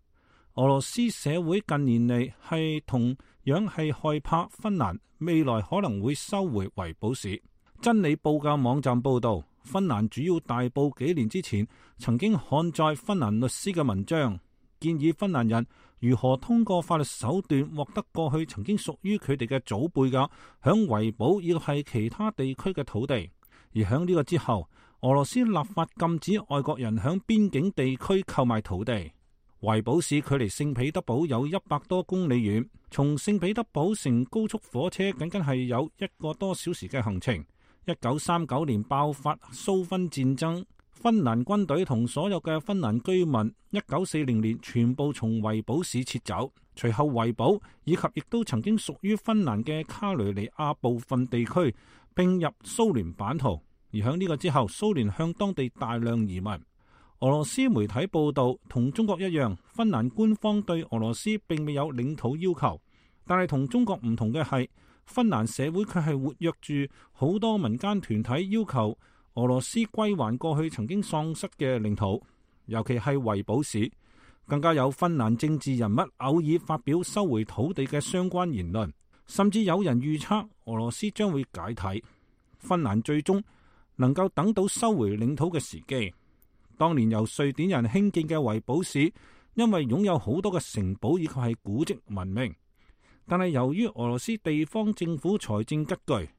俄羅斯社會近年嚟係同樣係害怕芬蘭未來可能會收回維堡市。真理報嘅網站報道，芬蘭主要大報幾年之前曾經刊載芬蘭律師嘅文章，建議芬蘭人如何通過法律手段獲得過去曾經屬於佢哋嘅祖輩嘅響維堡以及係其他地區嘅土地。而響呢個之後，俄羅斯立法禁止外國人響邊境地區購買土地。維堡市距離聖彼得堡有一百多公里遠，從聖彼得堡乘高速火車僅僅係有一個多小時嘅行程。一九三九年爆發蘇芬戰爭，芬蘭軍隊同所有嘅芬蘭居民一九四零年全部從維堡市撤走。隨後維堡以及亦都曾經屬於芬蘭嘅卡雷尼亞部分地區併入蘇聯版圖。而喺呢個之後，蘇聯向當地大量移民。俄羅斯媒體報道，同中國一樣，芬蘭官方對俄羅斯並未有領土要求，但係同中國唔同嘅係，芬蘭社會卻係活躍住好多民間團體要求俄羅斯歸還過去曾經喪失嘅領土，尤其係維堡市。更加有芬蘭政治人物偶爾發表收回土地嘅相關言論，甚至有人預測俄羅斯將會解體，芬蘭最終能夠等到收回領土嘅時機。當年由瑞典人興建嘅維堡市，因為擁有好多嘅城堡以及係古蹟聞名。但係由於俄羅斯地方政府財政拮據，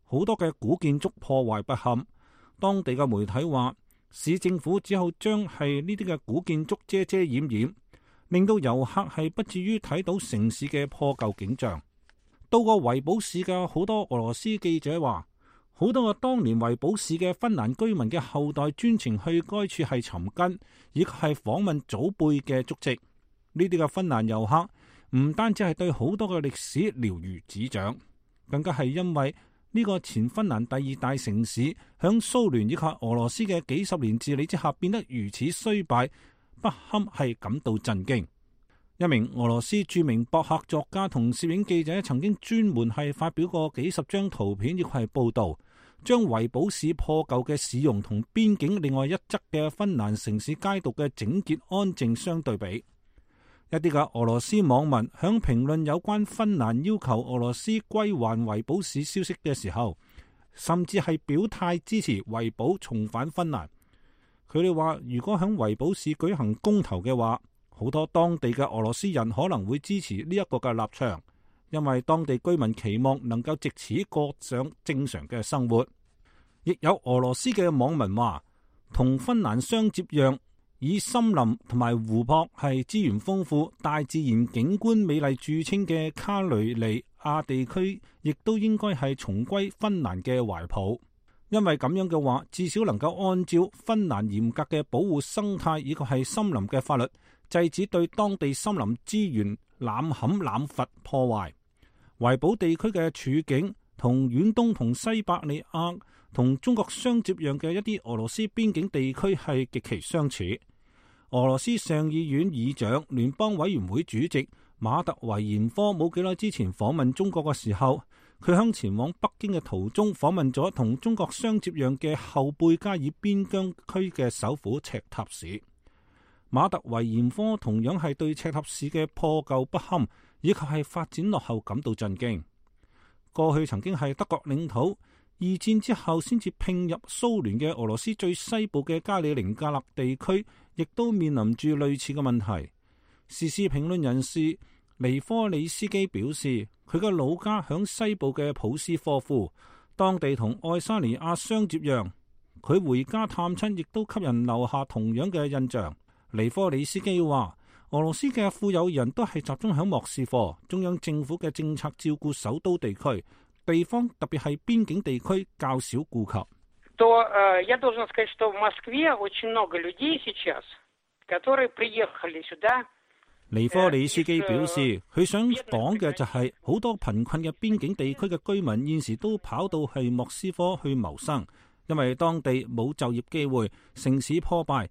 好多嘅古建築破壞不堪。當地嘅媒體話，市政府只好將係呢啲嘅古建築遮遮掩掩，令到遊客係不至於睇到城市嘅破舊景象。到過維堡市嘅好多俄羅斯記者話，好多個當年維堡市嘅芬蘭居民嘅後代專程去該處係尋根，以及係訪問祖輩嘅足跡。呢啲嘅芬蘭遊客唔單止係對好多嘅歷史了如指掌，更加係因為呢個前芬蘭第二大城市響蘇聯以及俄羅斯嘅幾十年治理之下變得如此衰敗不堪，係感到震驚。一名俄羅斯著名博客作家同攝影記者曾經專門係發表過幾十張圖片，亦係報道將維堡市破舊嘅市容同邊境另外一側嘅芬蘭城市街道嘅整潔安靜相對比。一啲嘅俄羅斯網民響評論有關芬蘭要求俄羅斯歸還維堡市消息嘅時候，甚至係表態支持維堡重返芬蘭。佢哋話，如果響維堡市舉行公投嘅話，好多當地嘅俄羅斯人可能會支持呢一個嘅立場，因為當地居民期望能夠藉此過上正常嘅生活。亦有俄羅斯嘅網民話，同芬蘭相接壤，以森林同埋湖泊係資源豐富、大自然景觀美麗著稱嘅卡雷尼亞地區，亦都應該係重歸芬蘭嘅懷抱。因為咁樣嘅話，至少能夠按照芬蘭嚴格嘅保護生態以及係森林嘅法律，制止對當地森林資源濫砍濫伐破壞。維堡地區嘅處境同遠東同西伯利亞同中國相接壤嘅一啲俄羅斯邊境地區係極其相似。俄羅斯上議院議長、聯邦委員會主席馬特維延科冇幾耐之前訪問中國嘅時候，佢響前往北京嘅途中訪問咗同中國相接壤嘅後貝加爾邊疆區嘅首府赤塔市。馬特維延科同樣係對赤塔市嘅破舊不堪以及係發展落後感到震驚。過去曾經係德國領土，二戰之後先至併入蘇聯嘅俄羅斯最西部嘅加里寧格勒地區，亦都面臨住類似嘅問題。時事評論人士尼科里斯基表示，佢嘅老家響西部嘅普斯科夫，當地同愛沙尼亞相接壤。佢回家探親，亦都給人留下同樣嘅印象。尼科里斯基話，俄羅斯嘅富有人都係集中響莫斯科，中央政府嘅政策照顧首都地區，地方特別係邊境地區較少顧及。то я должен сказать, что в Москве очень много людей сейчас, которые приехали сюда。尼科里斯基表示，佢想講嘅就係好多貧困嘅邊境地區嘅居民現時都跑到去莫斯科去謀生，因為當地冇就業機會，城市破敗，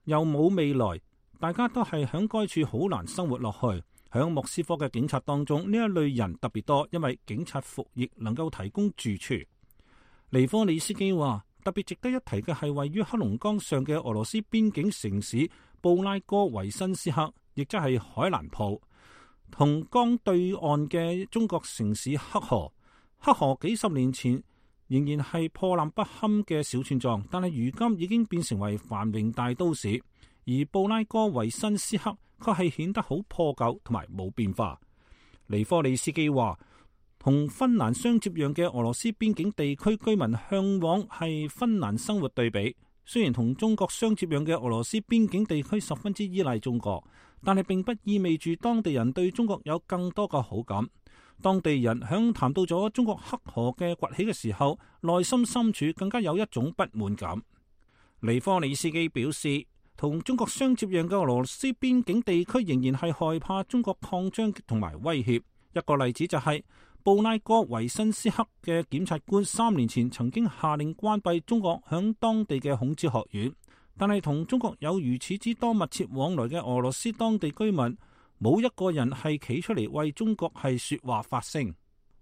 又冇未來，大家都係響該處好難生活落去。響莫斯科嘅警察當中，呢一類人特別多，因為警察服役能夠提供住處。尼科里斯基話，特別值得一提嘅係位於黑龍江上嘅俄羅斯邊境城市布拉戈維申斯克，亦即係海蘭普，同江對岸嘅中國城市黑河。黑河幾十年前仍然係破爛不堪嘅小村莊，但係如今已經變成為繁榮大都市。而布拉戈維申斯克卻係顯得好破舊同埋冇變化。尼科里斯基話，同芬蘭相接壤嘅俄羅斯邊境地區居民向往係芬蘭生活對比。雖然同中國相接壤嘅俄羅斯邊境地區十分之依賴中國，但係並不意味住當地人對中國有更多嘅好感。當地人響談到咗中國黑河嘅崛起嘅時候，內心深處更加有一種不滿感。尼科里斯基表示，同中國相接壤嘅俄羅斯邊境地區仍然係害怕中國擴張同埋威脅。一個例子就係、是、布拉戈維申斯克嘅檢察官三年前曾經下令關閉中國響當地嘅孔子學院，但係同中國有如此之多密切往來嘅俄羅斯當地居民，冇一個人係企出嚟為中國係說話發聲。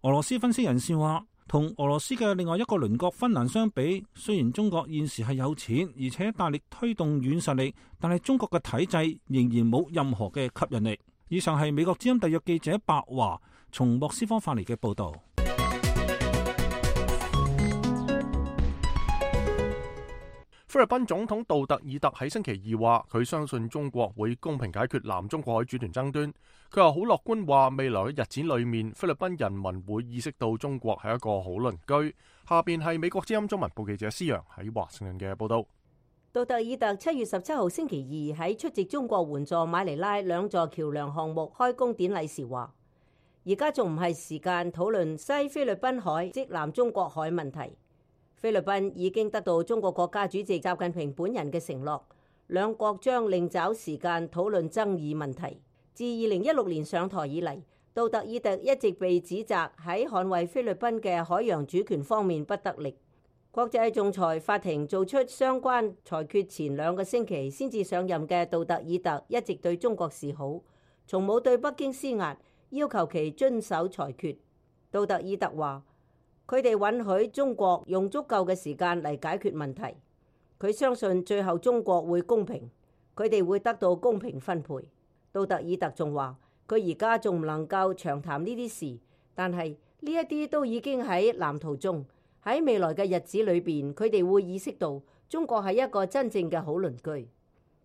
俄羅斯分析人士話，同俄羅斯嘅另外一個鄰國芬蘭相比，雖然中國現時係有錢，而且大力推動軟實力，但係中國嘅體制仍然冇任何嘅吸引力。以上係美國之音特約記者白華從莫斯科發嚟嘅報道。菲律賓總統杜特爾特喺星期二話，佢相信中國會公平解決南中國海主權爭端。佢又好樂觀話，未來嘅日子裏面，菲律賓人民會意識到中國係一個好鄰居。下邊係美國之音中文部記者施洋喺華盛頓嘅報道。杜特爾特七月十七號星期二喺出席中國援助馬尼拉兩座橋梁項目開工典禮時話，而家仲唔係時間討論西菲律賓海即南中國海問題。菲律賓已經得到中國國家主席習近平本人嘅承諾，兩國將另找時間討論爭議問題。自二零一六年上台以嚟，杜特爾特一直被指責喺捍衛菲律賓嘅海洋主權方面不得力。國際仲裁法庭做出相關裁決前兩個星期先至上任嘅杜特爾特一直對中國示好，從冇對北京施壓，要求其遵守裁決。杜特爾特話，佢哋允許中國用足夠嘅時間嚟解決問題。佢相信最後中國會公平，佢哋會得到公平分配。杜特爾特仲話，佢而家仲唔能夠長談呢啲事，但係呢一啲都已經喺藍圖中。喺未來嘅日子裏邊，佢哋會意識到中國係一個真正嘅好鄰居。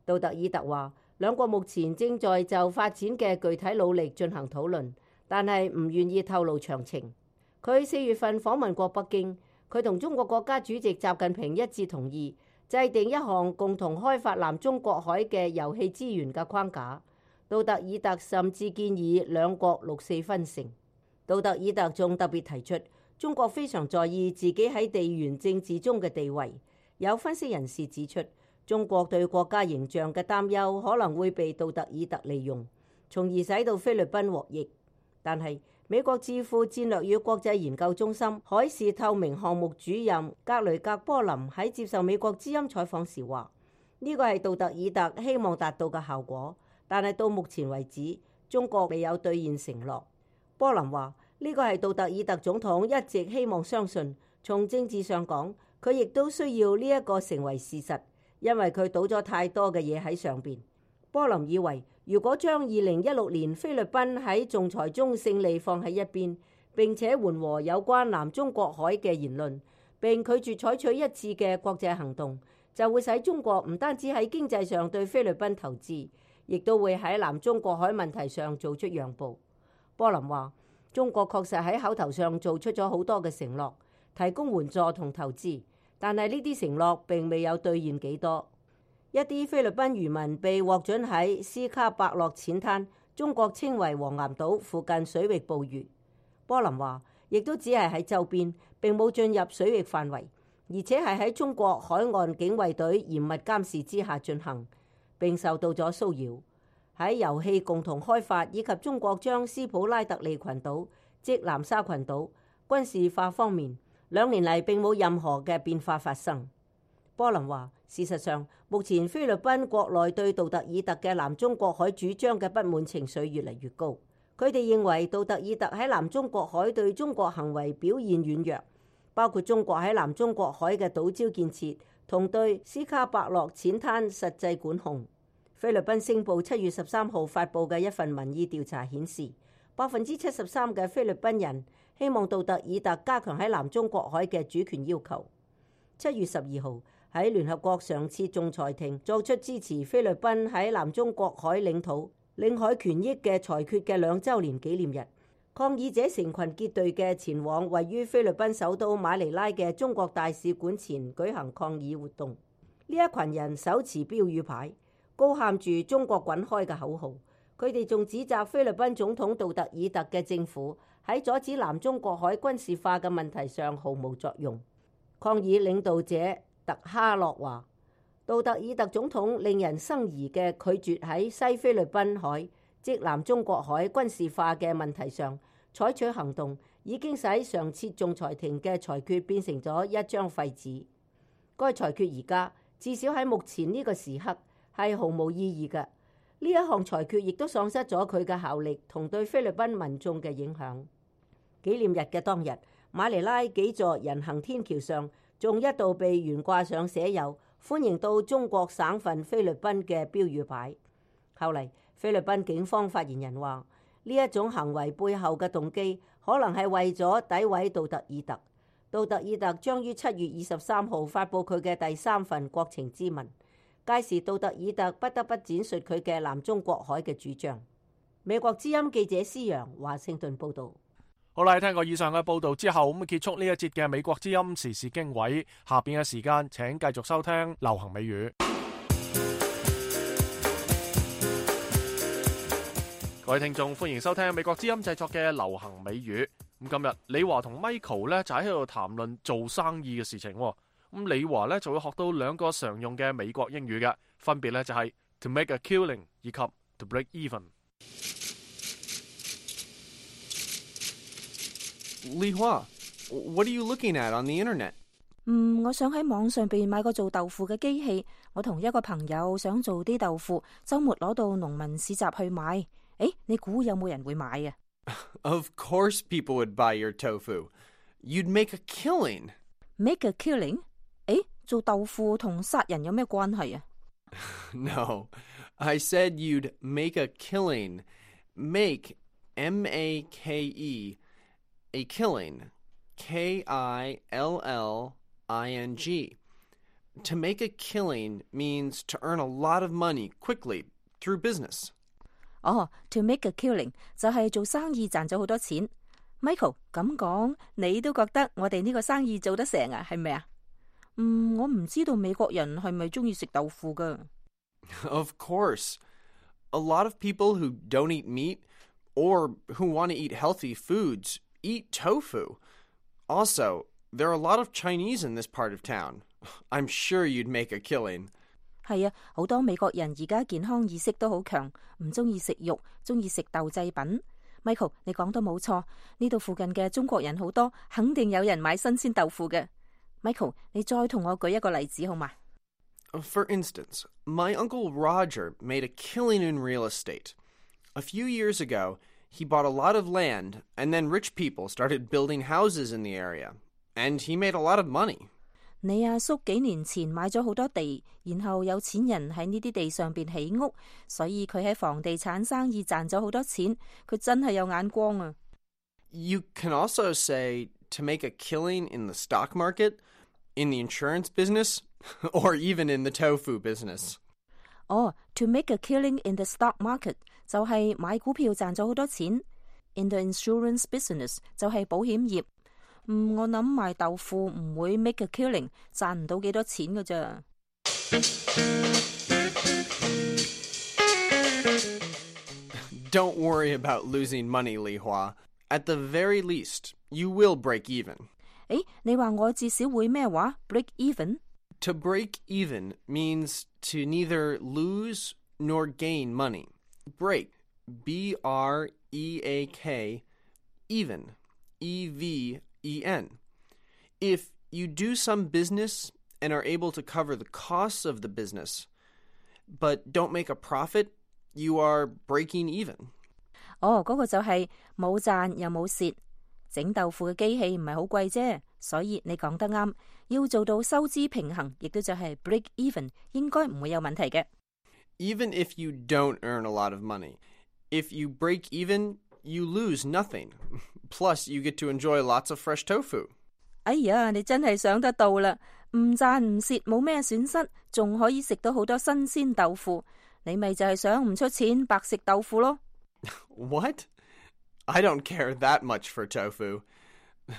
杜特爾特話，兩國目前正在就發展嘅具體努力進行討論，但係唔願意透露詳情。佢四月份訪問過北京，佢同中國國家主席習近平一致同意制定一項共同開發南中國海嘅油氣資源嘅框架。杜特爾特甚至建議兩國六四分成。杜特爾特仲特別提出，中國非常在意自己喺地緣政治中嘅地位。有分析人士指出，中國對國家形象嘅擔憂可能會被杜特爾特利用，從而使到菲律賓獲益。但係美國智庫戰略與國際研究中心海事透明項目主任格雷格波林喺接受美國之音採訪時話，呢個係杜特爾特希望達到嘅效果，但係到目前為止，中國未有兌現承諾。波林話，呢個係杜特爾特總統一直希望相信，從政治上講，佢亦都需要呢一個成為事實，因為佢賭咗太多嘅嘢喺上邊。波林以為，如果將二零一六年菲律賓喺仲裁中勝利放喺一邊，並且緩和有關南中國海嘅言論，並拒絕採取一致嘅國際行動，就會使中國唔單止喺經濟上對菲律賓投資，亦都會喺南中國海問題上做出讓步。波林話，中國確實喺口頭上做出咗好多嘅承諾，提供援助同投資，但係呢啲承諾並未有兌現幾多。一啲菲律賓漁民被獲准喺斯卡伯洛淺灘，中國稱為黃岩島附近水域捕魚。波林話，亦都只係喺周邊，並冇進入水域範圍，而且係喺中國海岸警衛隊嚴密監視之下進行，並受到咗騷擾。喺油氣共同開發以及中國將斯普拉特利群島即南沙群島軍事化方面，兩年嚟並冇任何嘅變化發生。波林話，事實上，目前菲律賓國內對杜特爾特嘅南中國海主張嘅不滿情緒越嚟越高。佢哋認為杜特爾特喺南中國海對中國行為表現軟弱，包括中國喺南中國海嘅島礁建設同對斯卡伯洛淺灘實際管控。菲律賓星報七月十三號發布嘅一份民意調查顯示，百分之七十三嘅菲律賓人希望杜特爾特加強喺南中國海嘅主權要求。七月十二號，喺聯合國上次仲裁庭作出支持菲律賓喺南中國海領土領海權益嘅裁決嘅兩週年紀念日，抗議者成群結隊嘅前往位於菲律賓首都馬尼拉嘅中國大使館前舉行抗議活動。呢一群人手持標語牌，高喊住中國滾開嘅口號。佢哋仲指責菲律賓總統杜特爾特嘅政府喺阻止南中國海軍事化嘅問題上毫無作用。抗議領導者特哈洛話，杜特爾特總統令人生疑嘅拒絕喺西菲律賓海即南中國海軍事化嘅問題上採取行動，已經使上次仲裁庭嘅裁決變成咗一張廢紙。該裁決而家至少喺目前呢個時刻係毫無意義嘅。呢一項裁決亦都喪失咗佢嘅效力同對菲律賓民眾嘅影響。紀念日嘅當日，馬尼拉幾座人行天橋上仲一度被懸掛上寫有歡迎到中國省份菲律賓嘅標語牌。後嚟菲律賓警方發言人話，呢一種行為背後嘅動機可能係為咗詆毀杜特爾特。杜特爾特將於七月二十三號發布佢嘅第三份國情咨文，屆時杜特爾特不得不展述佢嘅南中國海嘅主張。美國之音記者施陽華盛頓報導。好啦，聽過以上嘅報導之後，咁結束呢一節嘅美國之音時事經緯。下邊嘅時間請繼續收聽流行美語。各位聽眾，歡迎收聽美國之音製作嘅流行美語。咁今日李華同 Michael 咧就喺度談論做生意嘅事情。咁李華咧就會學到兩個常用嘅美國英語嘅，分別咧就係 to make a killing 以及 to break even。李華 what are you looking at on the internet？ 嗯，我想喺網上邊買個做豆腐嘅機器。我同一個朋友想做啲豆腐，周末攞到農民市集去買。誒，你估有冇人會買啊？ Of course people would buy your tofu. You'd make a killing. Make a killing？ 誒，做豆腐同殺人有咩關係啊？ No, I said you'd make a killing. Make, M A K E, a killing, K I L L I N G. To make a killing means to earn a lot of money quickly through business. 哦、oh, to make a killing 就係做生意賺咗好多錢。Michael 咁講，你都覺得我哋呢個生意做得成啊？係咪啊？嗯，我唔知道美國人係咪中意食豆腐噶。Of course. A lot of people who don't eat meat or who want to eat healthy foods eat tofu. Also, there are a lot of Chinese in this part of town. I'm sure you'd make a killing. 係啊，好多美國人而家健康意識都好強，唔中意食肉，中意食豆製品。Michael， 你講得冇錯，呢度附近嘅中國人好多，肯定有人買新鮮豆腐嘅。Michael， 你再同我舉一個例子好嗎？ For instance, my uncle Roger made a killing in real estate. A few years ago, he bought a lot of land, and then rich people started building houses in the area, and he made a lot of money. 你阿叔幾年前買咗好多地，然後有錢人喺呢啲地上邊起屋，所以佢喺房地產生意賺咗好多錢。佢真係有眼光啊！ You can also say to make a killing in the stock market, in the insurance business, or even in the tofu business. 哦、oh, to make a killing in the stock market 就係買股票賺咗好多錢。In the insurance business 就係保險業。嗯，我諗賣豆腐唔會 make a killing， 賺唔到幾多錢㗎咋。Don't worry about losing money, Li Hua. At the very least, you will break even. 誒，你話我至少會咩話 break even？ To break even means to neither lose nor gain money. Break, B R E A K, even, E V E N. If you do some business and are able to cover the costs of the business, but don't make a profit, you are breaking even. 哦，嗰個就係冇賺又冇蝕。整豆腐嘅機器唔係好貴啫，所以你講得啱，要做到收支平衡，亦都就係 break even， 應該唔會有問題嘅。Even if you don't earn a lot of money, if you break even, you lose nothing. Plus, you get to enjoy lots of fresh tofu. 哎呀，你真係想得到啦！唔賺唔蝕，冇咩損失，仲可以食到好多新鮮豆腐。你咪就係想唔出錢白食豆腐咯。What? I don't care that much for tofu.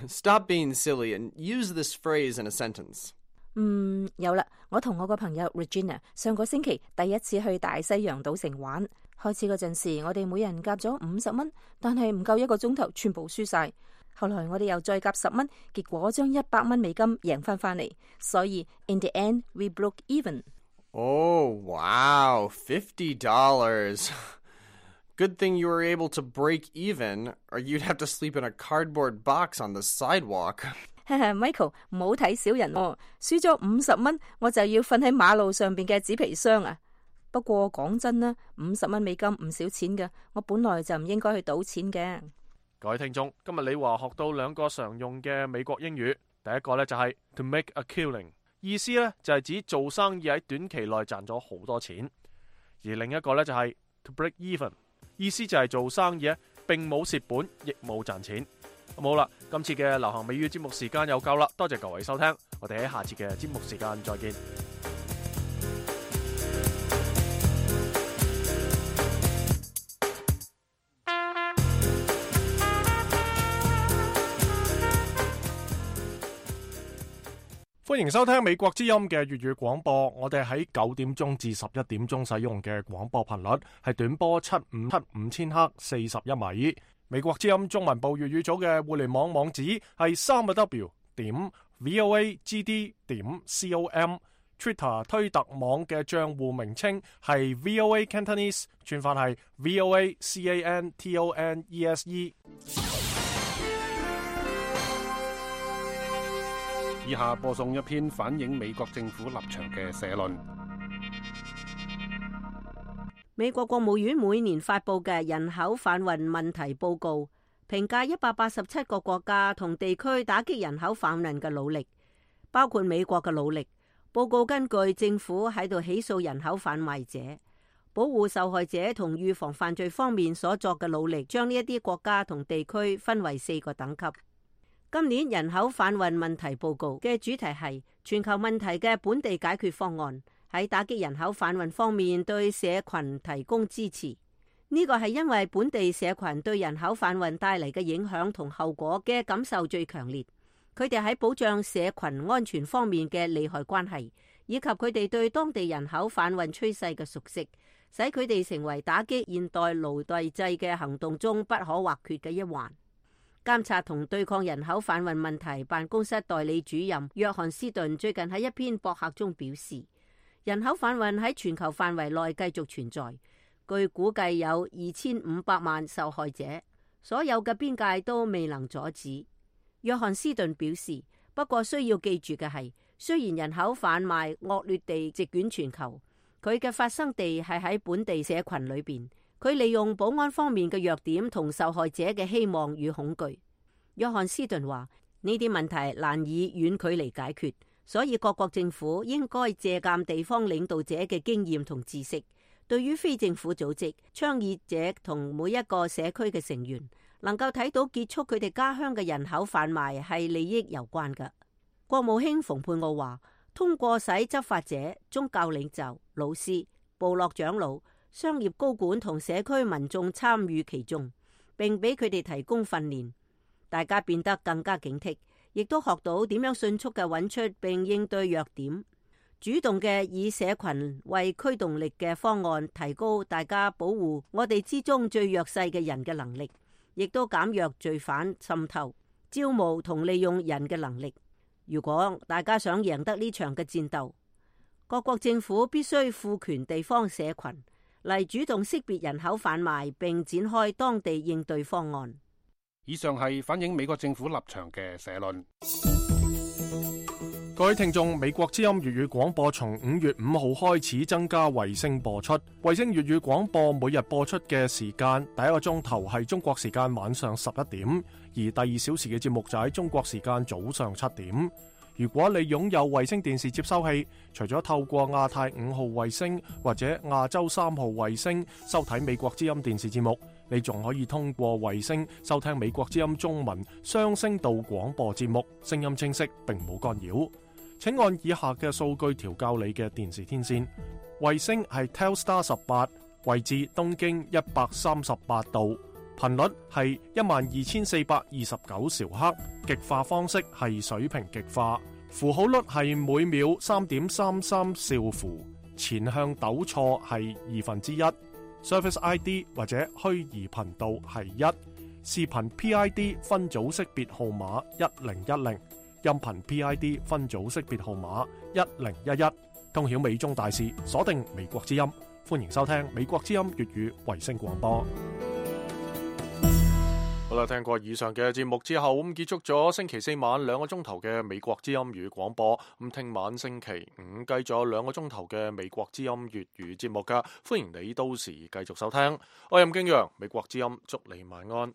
Stop being silly and use this phrase in a sentence. 嗯，有啦，我同我個朋友 Regina 上個星期第一次去大西洋賭城玩。開始嗰陣時，我哋每人夾咗五十蚊，但係唔夠一個鐘頭，全部輸晒。後來我哋又再夾十蚊，結果將一百蚊美金贏翻翻嚟。所以 in the end we broke even. Oh, wow, fifty dollars. Good thing you were able to break even, or you'd have to sleep in a cardboard box on the sidewalk. Michael, 唔好睇小人喎，輸咗五十蚊，我就要瞓喺馬路上邊嘅紙皮箱啊！不過講真啦，五十蚊美金唔少錢㗎，我本來就唔應該去賭錢嘅。各位聽眾，今日李華學到兩個常用嘅美國英語，第一個呢就係 to make a killing， 意思呢就係指做生意喺短期內賺咗好多錢，而另一個呢就係 to break even， 意思就係做生意呢並冇蝕本，亦冇賺錢。咁好啦，今次嘅流行美語節目時間又夠啦，多謝各位收聽，我哋喺下次嘅節目時間再見。歡迎收聽美國之音嘅粵語廣播，我哋喺九點鐘至十一點鐘使用嘅廣播頻率係短波七五七五千赫四十一米。美國之音中文部粵語組嘅互聯網網址係三個 W 點 voagd 點 com，Twitter 推特網嘅賬戶名稱係 V O A Cantonese， 串法係 V O A C A N T O N E S E。以下播送一篇反映美國政府立場嘅社論。美國國務院每年發佈嘅人口販運問題報告，評價一百八十七個國家同地區打擊人口販運嘅努力，包括美國嘅努力。報告根據政府喺度起訴人口販賣者、保護受害者同預防犯罪方面所作嘅努力，將呢一啲國家同地區分為四個等級。今年人口販運問題報告嘅主題係全球問題嘅本地解決方案，喺打擊人口販運方面對社群提供支持。呢個係因為本地社群對人口販運帶嚟嘅影響同後果嘅感受最強烈，佢哋喺保障社群安全方面嘅利害關係，以及佢哋對當地人口販運趨勢嘅熟悉，使佢哋成為打擊現代奴隸制嘅行動中不可或缺嘅一環。監察同對抗人口販運問題辦公室代理主任約翰斯頓最近喺一篇博客中表示，人口販運喺全球範圍內繼續存在，據估計有二千五百萬受害者，所有嘅邊界都未能阻止。約翰斯頓表示，不過需要記住嘅係，雖然人口販賣惡劣地席捲全球，佢嘅發生地係喺本地社群裏邊。佢利用保安方面嘅弱點同受害者嘅希望與恐懼。約翰斯頓話：呢啲問題難以遠距離解決，所以各國政府應該借鑑地方領導者嘅經驗同知識。對於非政府組織、倡議者同每一個社區嘅成員，能夠睇到結束佢哋家鄉嘅人口販賣係利益攸關嘅。國務卿蓬佩奧話：通過使執法者、宗教領袖、老師、部落長老、商業高管同社區民眾參與其中，並俾佢哋提供訓練，大家變得更加警惕，亦都學到點樣迅速嘅揾出並應對弱點，主動嘅以社群為驅動力嘅方案，提高大家保護我哋之中最弱勢嘅人嘅能力，亦都減弱罪犯滲透、招募同利用人嘅能力。如果大家想贏得呢場嘅戰鬥，各國政府必須賦權地方社群嚟主動識別人口販賣，並展開當地應對方案。以上係反映美國政府立場嘅社論。各位聽眾，美國之音粵語廣播從五月五號開始增加衛星播出。衛星粵語廣播每日播出嘅時間，第一個鐘頭係中國時間晚上十一點，而第二小時嘅節目就喺中國時間早上七點。如果你擁有衛星電視接收器，除咗透過亞太五號衛星或者亞洲三號衛星收睇美國之音電視節目，你仲可以通過衛星收聽美國之音中文雙聲道廣播節目，聲音清晰並冇干擾。請按以下嘅數據調校你嘅電視天線。衛星係 Telstar 十八，位置東經一百三十八度，頻率係一萬二千四百二十九兆赫，極化方式係水平極化，符號率係每秒三點三三兆符，前向抖錯係二分之一，Service I D 或者虛擬頻道係一，視頻 P I D 分組識別號碼一零一零，音頻 P I D 分組識別號碼一零一一，通曉美中大事，鎖定美國之音，歡迎收聽美國之音粵語衛星廣播。好啦，聽過以上嘅節目之後，咁結束咗星期四晚兩個鐘頭嘅美國之音粵語廣播。咁聽晚星期五繼續有兩個鐘頭嘅美國之音粵語節目噶，歡迎你到時繼續收聽。我係任敬陽，美國之音，祝你晚安。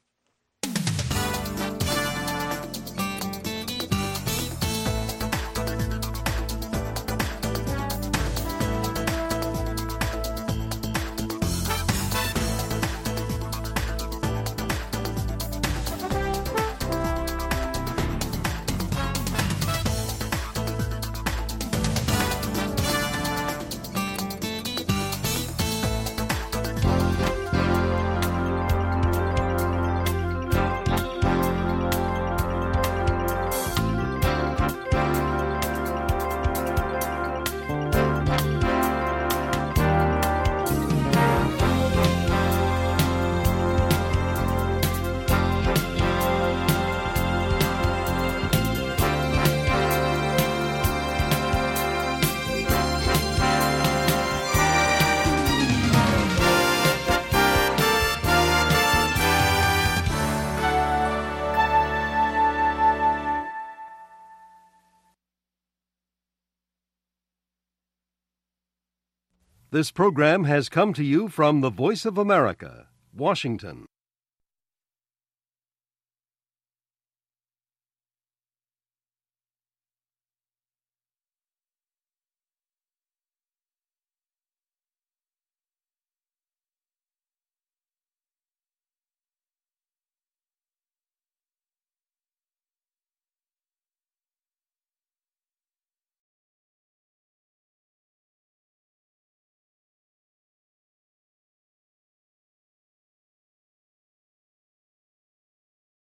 This program has come to you from the Voice of America, Washington.